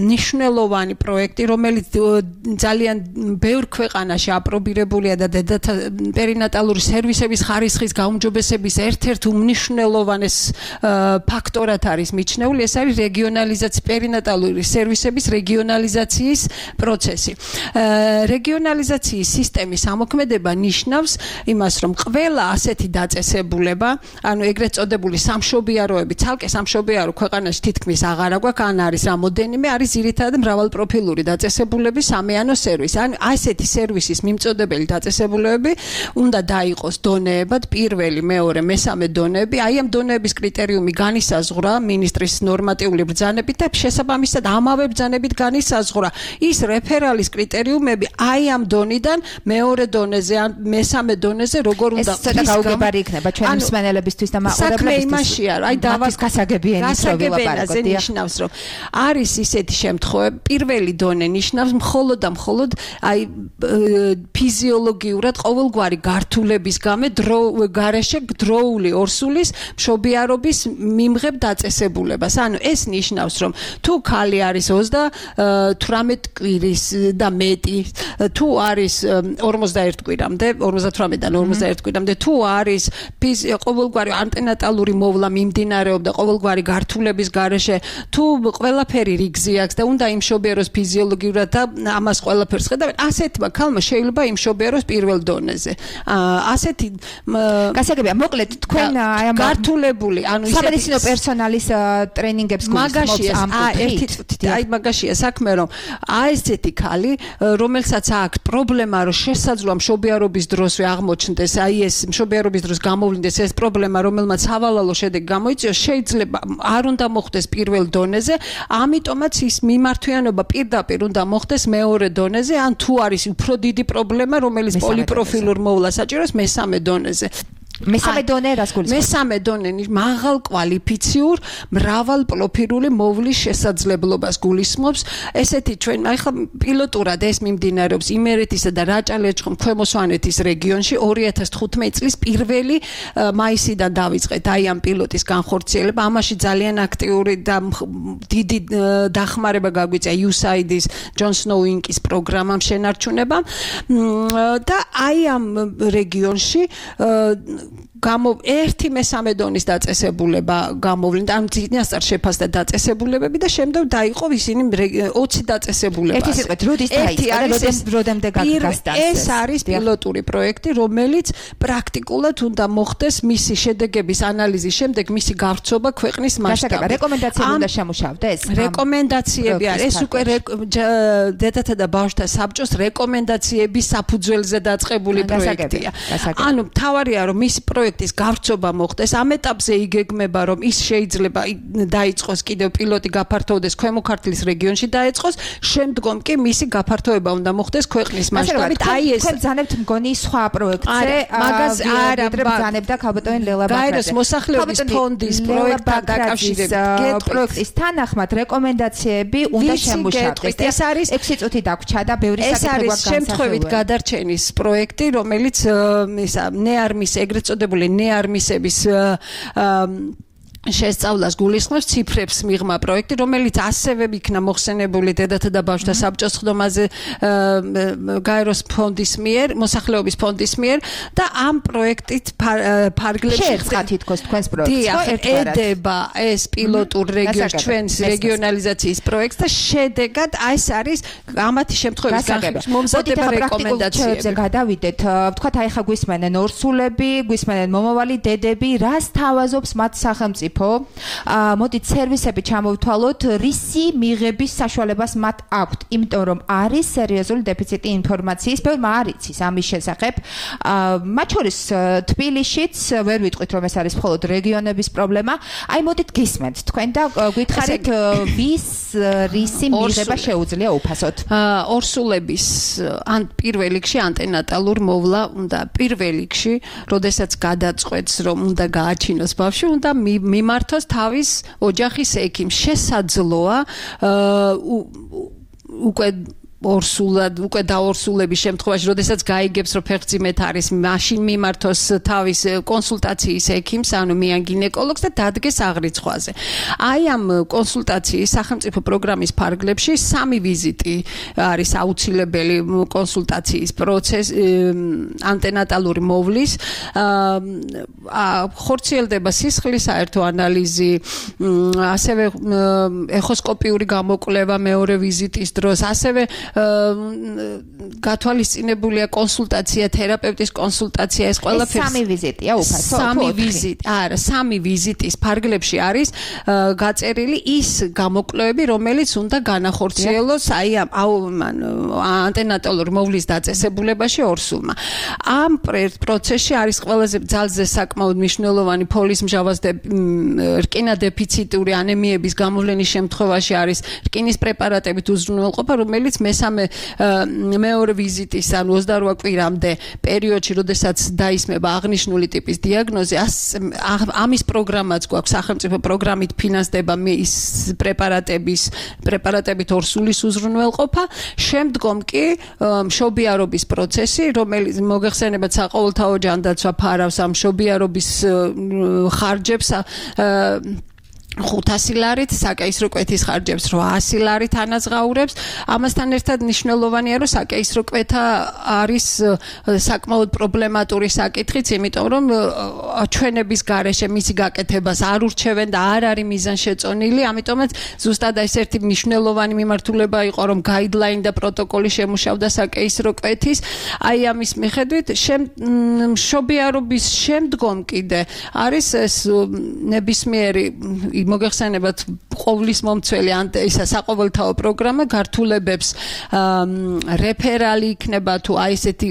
მნიშვნელოვანი პროექტი, რომელიც ძალიან ბევრ ქვეყანაში აპრობირებულია და დედათა პერინატალური სერვისების ხარისხის გაუმჯობესების ერთ-ერთ უმნიშვნელოვანეს ფაქტორად არის მიჩნეული, ეს არის რეგიონალიზაცია, პერინატალური სერვისების რეგიონალიზაციის პროცესი. რეგიონალიზაციის სისტემის ამოქმედება ნიშნავს იმას, რომ ყველა ასეთი დაწესებულება, ანუ ეგრეთ წოდებული სამშობიაროები, ცალკე სამშობიარო ქვეყანაში თითქმის აღარ აქვს, ან არის რამოდენიმე, არის ძირითადად მრავალპროფილური დაწესებულების სამიანო სერვისი. ან ასეთი სერვისის მიმწოდებელი დაწესებულებები უნდა დაიყოს დონეებად, პირველი, მეორე, მესამე დონეები. აი ამ დონეების კრიტერიუმი განისაზღვრა მინისტრის ნორმატიული ბრძანებით და შესაბამისად ამავე ბრძანებით განისაზღვრა ის რეფერალის კრიტერიუმები აი ამ დონიდან მეორე დონეზე ან მესამე დონეზე როგორ უნდა ეს ცოტა გაუგებარი იქნება ჩვენი მსმენელებისთვის და მაყურებლებისთვის. საქმე იმაშია, აი დავას გასაგებიანი ვილაპარაკოთ. ნიშნავს, რომ არის ისეთი შემთხვევა, პირველი დონე ნიშნავს მხოლოდ და მხოლოდ აი ფიზიოლოგიურად ყოველგვარი გართულების გამო დრო გარეშე დროული ორსულის მშობიარობის მიმღებ დაწესებულებას. ანუ ეს ნიშნავს, რომ თუ ქალი არის ოცდათვრამეტი კვირის და მეტი, თუ არის ორმოცდაერთი კვირამდე, ორმოცდათვრამეტიდან ორმოცდაერთი კვირამდე, თუ არის ყოველგვარი ანტენატალური მოვლა მიმდინარეობდა ყოველგვარი გართულების გარეშე, თუ ყველაფერი რიგზი აქვს და უნდა იმ მშობიაროს ფიზიოლოგიურად და ამას ყველაფერს ხედავენ, ასეთმა ქალმა შეიძლება იმშობიაროს პირველ დონეზე. ასეთი გასაგებია, მოკლედ თქვენ აი ამ გართულებული, ანუ ისეთი სამედიცინო პერსონალის ტრენინგებს გულისხმობთ ამ კუთხით. აი მაგაშია საქმე, რომ აი ესეთი ქალი, რომელსაც აქვს პრობლემა, რომ შესაძლოა მშობიარობის დროსვე აღმოჩნდეს, აი ეს მშობიარობის დროს გამოვლინდეს ეს პრობლემა, რომელმაც სავალალო შედეგი გამოიწვიოს, შეიძლება არ უნდა მოხდეს პირველ დონეზე, ამიტომაც ის მიმართვიანობა პირდაპირ უნდა მოხდეს მეორე დონეზე, ან თუ არის უფრო დიდი პრობლემა, რომელიც პოლიპროფილურ მოვლა საჭიროს მესამე დონეზე. მესამე დონე რას გულისხმობს? მესამე დონე მაღალ კვალიფიციურ, მრავალ პროფილული მოვლის შესაძლებლობას გულისხმობს. ესეთი ჩვენ ახლა პილოტურად ეს მიმდინარეობს იმერეთისა და რაჭა-ლეჩხუმ ქვემო სვანეთის რეგიონში ორი ათას თხუთმეტი წლის პირველი მაისიდან დავიწყეთ აი ამ პილოტის განხორციელება. ამაში ძალიან აქტიური და დიდი დახმარება გაგვიწია იუ ეს აი დი-ის ჯონ სნოუ ინკის პროგრამამ შენარჩუნებამ და აი ამ რეგიონში გამო ერთი მესამე დონის დაწესებულება გამოვლინდა ამ წინასწარ შეფასდა დაწესებულებები და შემდეგ დაიყო ისინი ოცი დაწესებულება. ერთი სიტყვით როდის დაიწყო და როდემდე გასტანს? ეს არის პილოტური პროექტი, რომელიც პრაქტიკულად უნდა მოხდეს მისი შედეგების ანალიზის შემდეგ მისი გავრცობა ქვეყნის მასშტაბით. რეკომენდაციები უნდა შემუშავდეს? რეკომენდაციები არის ეს უკვე დედათა და ბავშვთა საბჭოს რეკომენდაციების საფუძველზე დაწყებული პროექტია. ანუ მთავარია რომ მისი პროექტის გავრცობა მოხდეს ამ ეტაპზე იგეგმება რომ ის შეიძლება დაიწყოს კიდევ პილოტი გაფართოვდეს ქვემო ქართლის რეგიონში დაიწყოს შემდგომ კი მისი გაფართოება უნდა მოხდეს ქვეყნის მასშტაბით აი ეს თქვენ ბრძანებთ მგონი სხვა პროექტზე მაგას არა ბრძანებდა ქალბატონი ლელა ბაქრაძე გაეროს მოსახლეობის ფონდის პროექტთან დაკავშირებით პროექტის თანახმად რეკომენდაციები უნდა შემუშავდეს ეს არის ექვსი წუთი დაგვრჩა და ბევრი ეს არის შემთხვევით გადარჩენის პროექტი რომელიც ისა ნეარმის ეგრეთ წოდებული ნეარმისების შესწავლას გულისხმობს ციფრებს მიღმა პროექტი, რომელიც ასევე იქნა მოხსენებული დედათა და ბავშვთა საბჭოს ხდომაზე გაეროს ფონდის მიერ, მოსახლეობის ფონდის მიერ და ამ პროექტით ფარგლებში შეერწყა თითქოს თქვენს პროექტს. ედება ეს პილოტურ რეგიონს ჩვენს რეგიონალიზაციის პროექტს და შედეგად ეს არის ამათი შემთხვევის მომზადება რეკომენდაციები. გადავიდეთ, ვთქვათ, აი ხა გვისმენენ ორსულები, გვისმენენ მომავალი დედები, რას თავაზობს მათ სახელმწიფო? მოდით სერვისები ჩამოვთვალოთ, რისი მიღების საშუალებას მათ აქვთ, იმიტომ რომ არის სერიოზული დეფიციტი ინფორმაციის, ბევრმა არ იცის ამის შესახებ. მათ შორის თბილისშიც ვერ ვიტყვით რომ ეს არის მხოლოდ რეგიონების პრობლემა. აი მოდით გისმენთ თქვენ და გითხარით ვის რისი მიღება შეუძლია უფასოდ. ორსულების ან პირველ რიგში ანტენატალურ მოვლა უნდა პირველ რიგში, როდესაც გადაწყვეტს რომ უნდა გააჩინოს ბავშვი, უნდა მიმართოს თავის ოჯახის ექიმს. შესაძლოა უკვე ორსულად უკვე დაორსულების შემთხვევაში, როდესაც გაიგებს რომ ფეხმძიმედ არის, მაშინ მიმართოს თავის კონსულტაციის ექიმს, ანუ მიან გინეკოლოგს და დადგეს აღრიცხვაზე. აი ამ კონსულტაციის სახელმწიფო პროგრამის ფარგლებში სამი ვიზიტი არის აუცილებელი კონსულტაციის პროცესი ანტენატალური მოვლის, ხორციელდება სისხლის საერთო ანალიზი, ასევე ეხოსკოპიური გამოკვლევა მეორე ვიზიტის დროს, ასევე გათვალისწინებულია კონსულტაცია, თერაპევტის კონსულტაცია, ეს ყველაფერი სამი ვიზიტია უფასო. სამი ვიზიტი, არა, სამი ვიზიტის ფარგლებში არის გაწერილი ის გამოკვლევები, რომელიც უნდა განახორციელოს აი ამ ანტენატალური მოვლის დაწესებულებაში ორსულმა. ამ პროცესში არის ყველაზე ძალზე საკმაოდ მნიშვნელოვანი ფოლის მსჯავრდები, რკინა დეფიციტური ანემიების გამოვლენის შემთხვევაში არის რკინის პრეპარატებით უზრუნველყოფა, რომელიც მესამე მეორე ვიზიტის ან ოცდარვა კვირამდე პერიოდში, როდესაც დაისმება აღნიშნული ტიპის დიაგნოზი, ამის პროგრამაც გვაქვს, სახელმწიფო პროგრამით ფინანსდება ის პრეპარატების პრეპარატებით ორსულის უზრუნველყოფა, შემდგომ კი მშობიარობის პროცესი, რომელიც მოგეხსენებათ საყოველთაო ჯანდაცვა ფარავს ამ მშობიარობის ხარჯებს ხუთასი ლარით, საკეისრო კვეთის ხარჯებს რვაასი ლარით ანაზღაურებს. ამასთან ერთად მნიშვნელოვანია, რომ საკეისრო კვეთა არის საკმაოდ პრობლემატური საკითხიც, იმიტომ რომ ჩვენების გარეშე მისი გაკეთებას არ ურჩევენ და არ არის მიზანშეწონილი, ამიტომაც ზუსტად ეს ერთი მნიშვნელოვანი მიმართულება იყო, რომ გაიდლაინი და პროტოკოლი შემუშავდა საკეისრო კვეთის. აი ამის მიხედვით მშობიარობის შემდგომ კიდე არის ეს ნებისმიერი მოგეხსენებათ ყოვლის მომცველი ისა საყოველთაო პროგრამა გართულებებს რეფერალი იქნება თუ აი ესეთი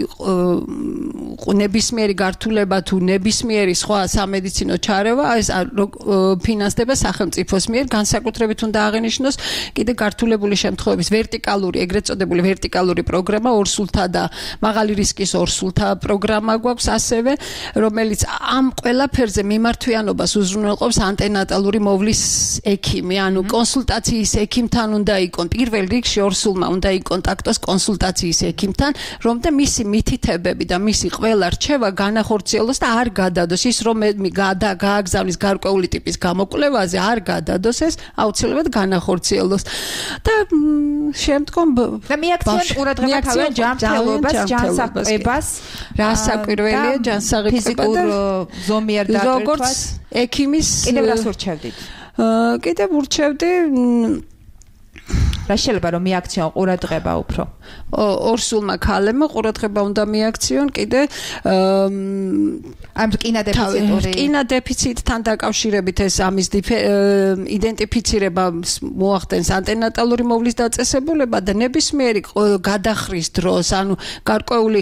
ნებისმიერი გართულება თუ ნებისმიერი სხვა სამედიცინო ჩარევა ეს ფინანსდება სახელმწიფოს მიერ განსაკუთრებით უნდა აღინიშნოს კიდე გართულებული შემთხვევების ვერტიკალური ეგრეთ წოდებული ვერტიკალური პროგრამა ორსულთა და მაღალი რისკის ორსულთა პროგრამა გვაქვს ასევე რომელიც ამ ყველაფერზე მიმართვიანობას უზრუნველყოფს ანტენატალური მოვლის ექიმი, ანუ კონსულტაციის ექიმთან უნდა იქონ პირველ რიგში ორსულმა უნდა იკონტაქტოს კონსულტაციის ექიმთან, რომ და მისი მითითებები და მისი ყველა რჩევა განახორციელოს და არ გადადოს ის რომ გადა გააგზავნის გარკვეული ტიპის გამოკვლევაზე არ გადადოს ეს აუცილებლად განახორციელოს და შემდგომ და მიაქცევენ ყურადღება თავიანთ ჯანმრთელობას, ჯანსაღმებას, რასაკვირველია ჯანსაღმება და ზომიერ დატვირთვას ექიმის კიდევ რას ურჩევდით? კიდევ ურჩევდი რა შეიძლება რომ მიაქციონ ყურადღება უფრო ორსულმა ქალებმა ყურადღება უნდა მიაქციონ კიდე ამ რკინა დეფიციტური რკინა დეფიციტთან დაკავშირებით ეს ამის იდენტიფიცირება მოახდენს ანტენატალური მოვლის დაწესებულება და ნებისმიერი გადახრის დროს ანუ გარკვეული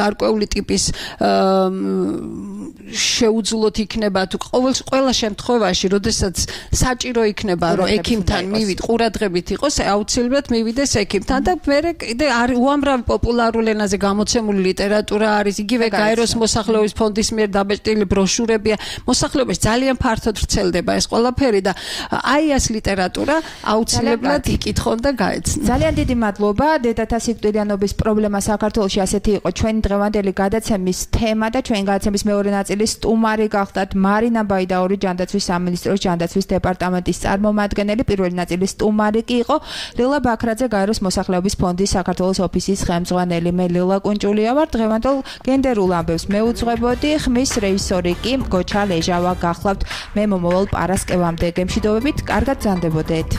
გარკვეული ტიპის შეუძლოთ იქნება თუ ყოველ ყველა შემთხვევაში როდესაც საჭირო იქნება რომ ექიმთან მივიდ ყურადღებით იყოს აუცილებლად მივიდეს ექიმთან და მე კიდე უამრავი პოპულარულ ენაზე გამოცემული ლიტერატურა არის იგივე გაეროს მოსახლეობის ფონდის მიერ დაბეჭდილი ბროშურებია მოსახლეობაში ძალიან ფართოდ ვრცელდება ეს ყველაფერი და აი ეს ლიტერატურა აუცილებლად იკითხონ და გაეცნო ძალიან დიდი მადლობა დედათა სიკვდილიანობის პრობლემა საქართველოში ასეთი იყო ჩვენი დღევანდელი გადაცემის თემა და ჩვენი გადაცემის მეორე ნაწილის სტუმარი გახდათ მარინა ბაიდაური ჯანდაცვის სამინისტროს ჯანდაცვის დეპარტამენტის წარმომადგენელი პირველი ნაწილის სტუმარი კი იყო ლელა ბაქრაძე გაეროს მოსახლეობის ფონდის საქართველოს ოფისის ხელმძღვანელი მე ლელა კუნჭულია ვარ დღევანდელ გენდერულ ამბებს მე უძღვებოდი ხმის რეჟისორი კი გოჩა ლეჟავა გახლავთ მე მომავალ პარასკევამდე გემშვიდობებით კარგად გრძანდებოდეთ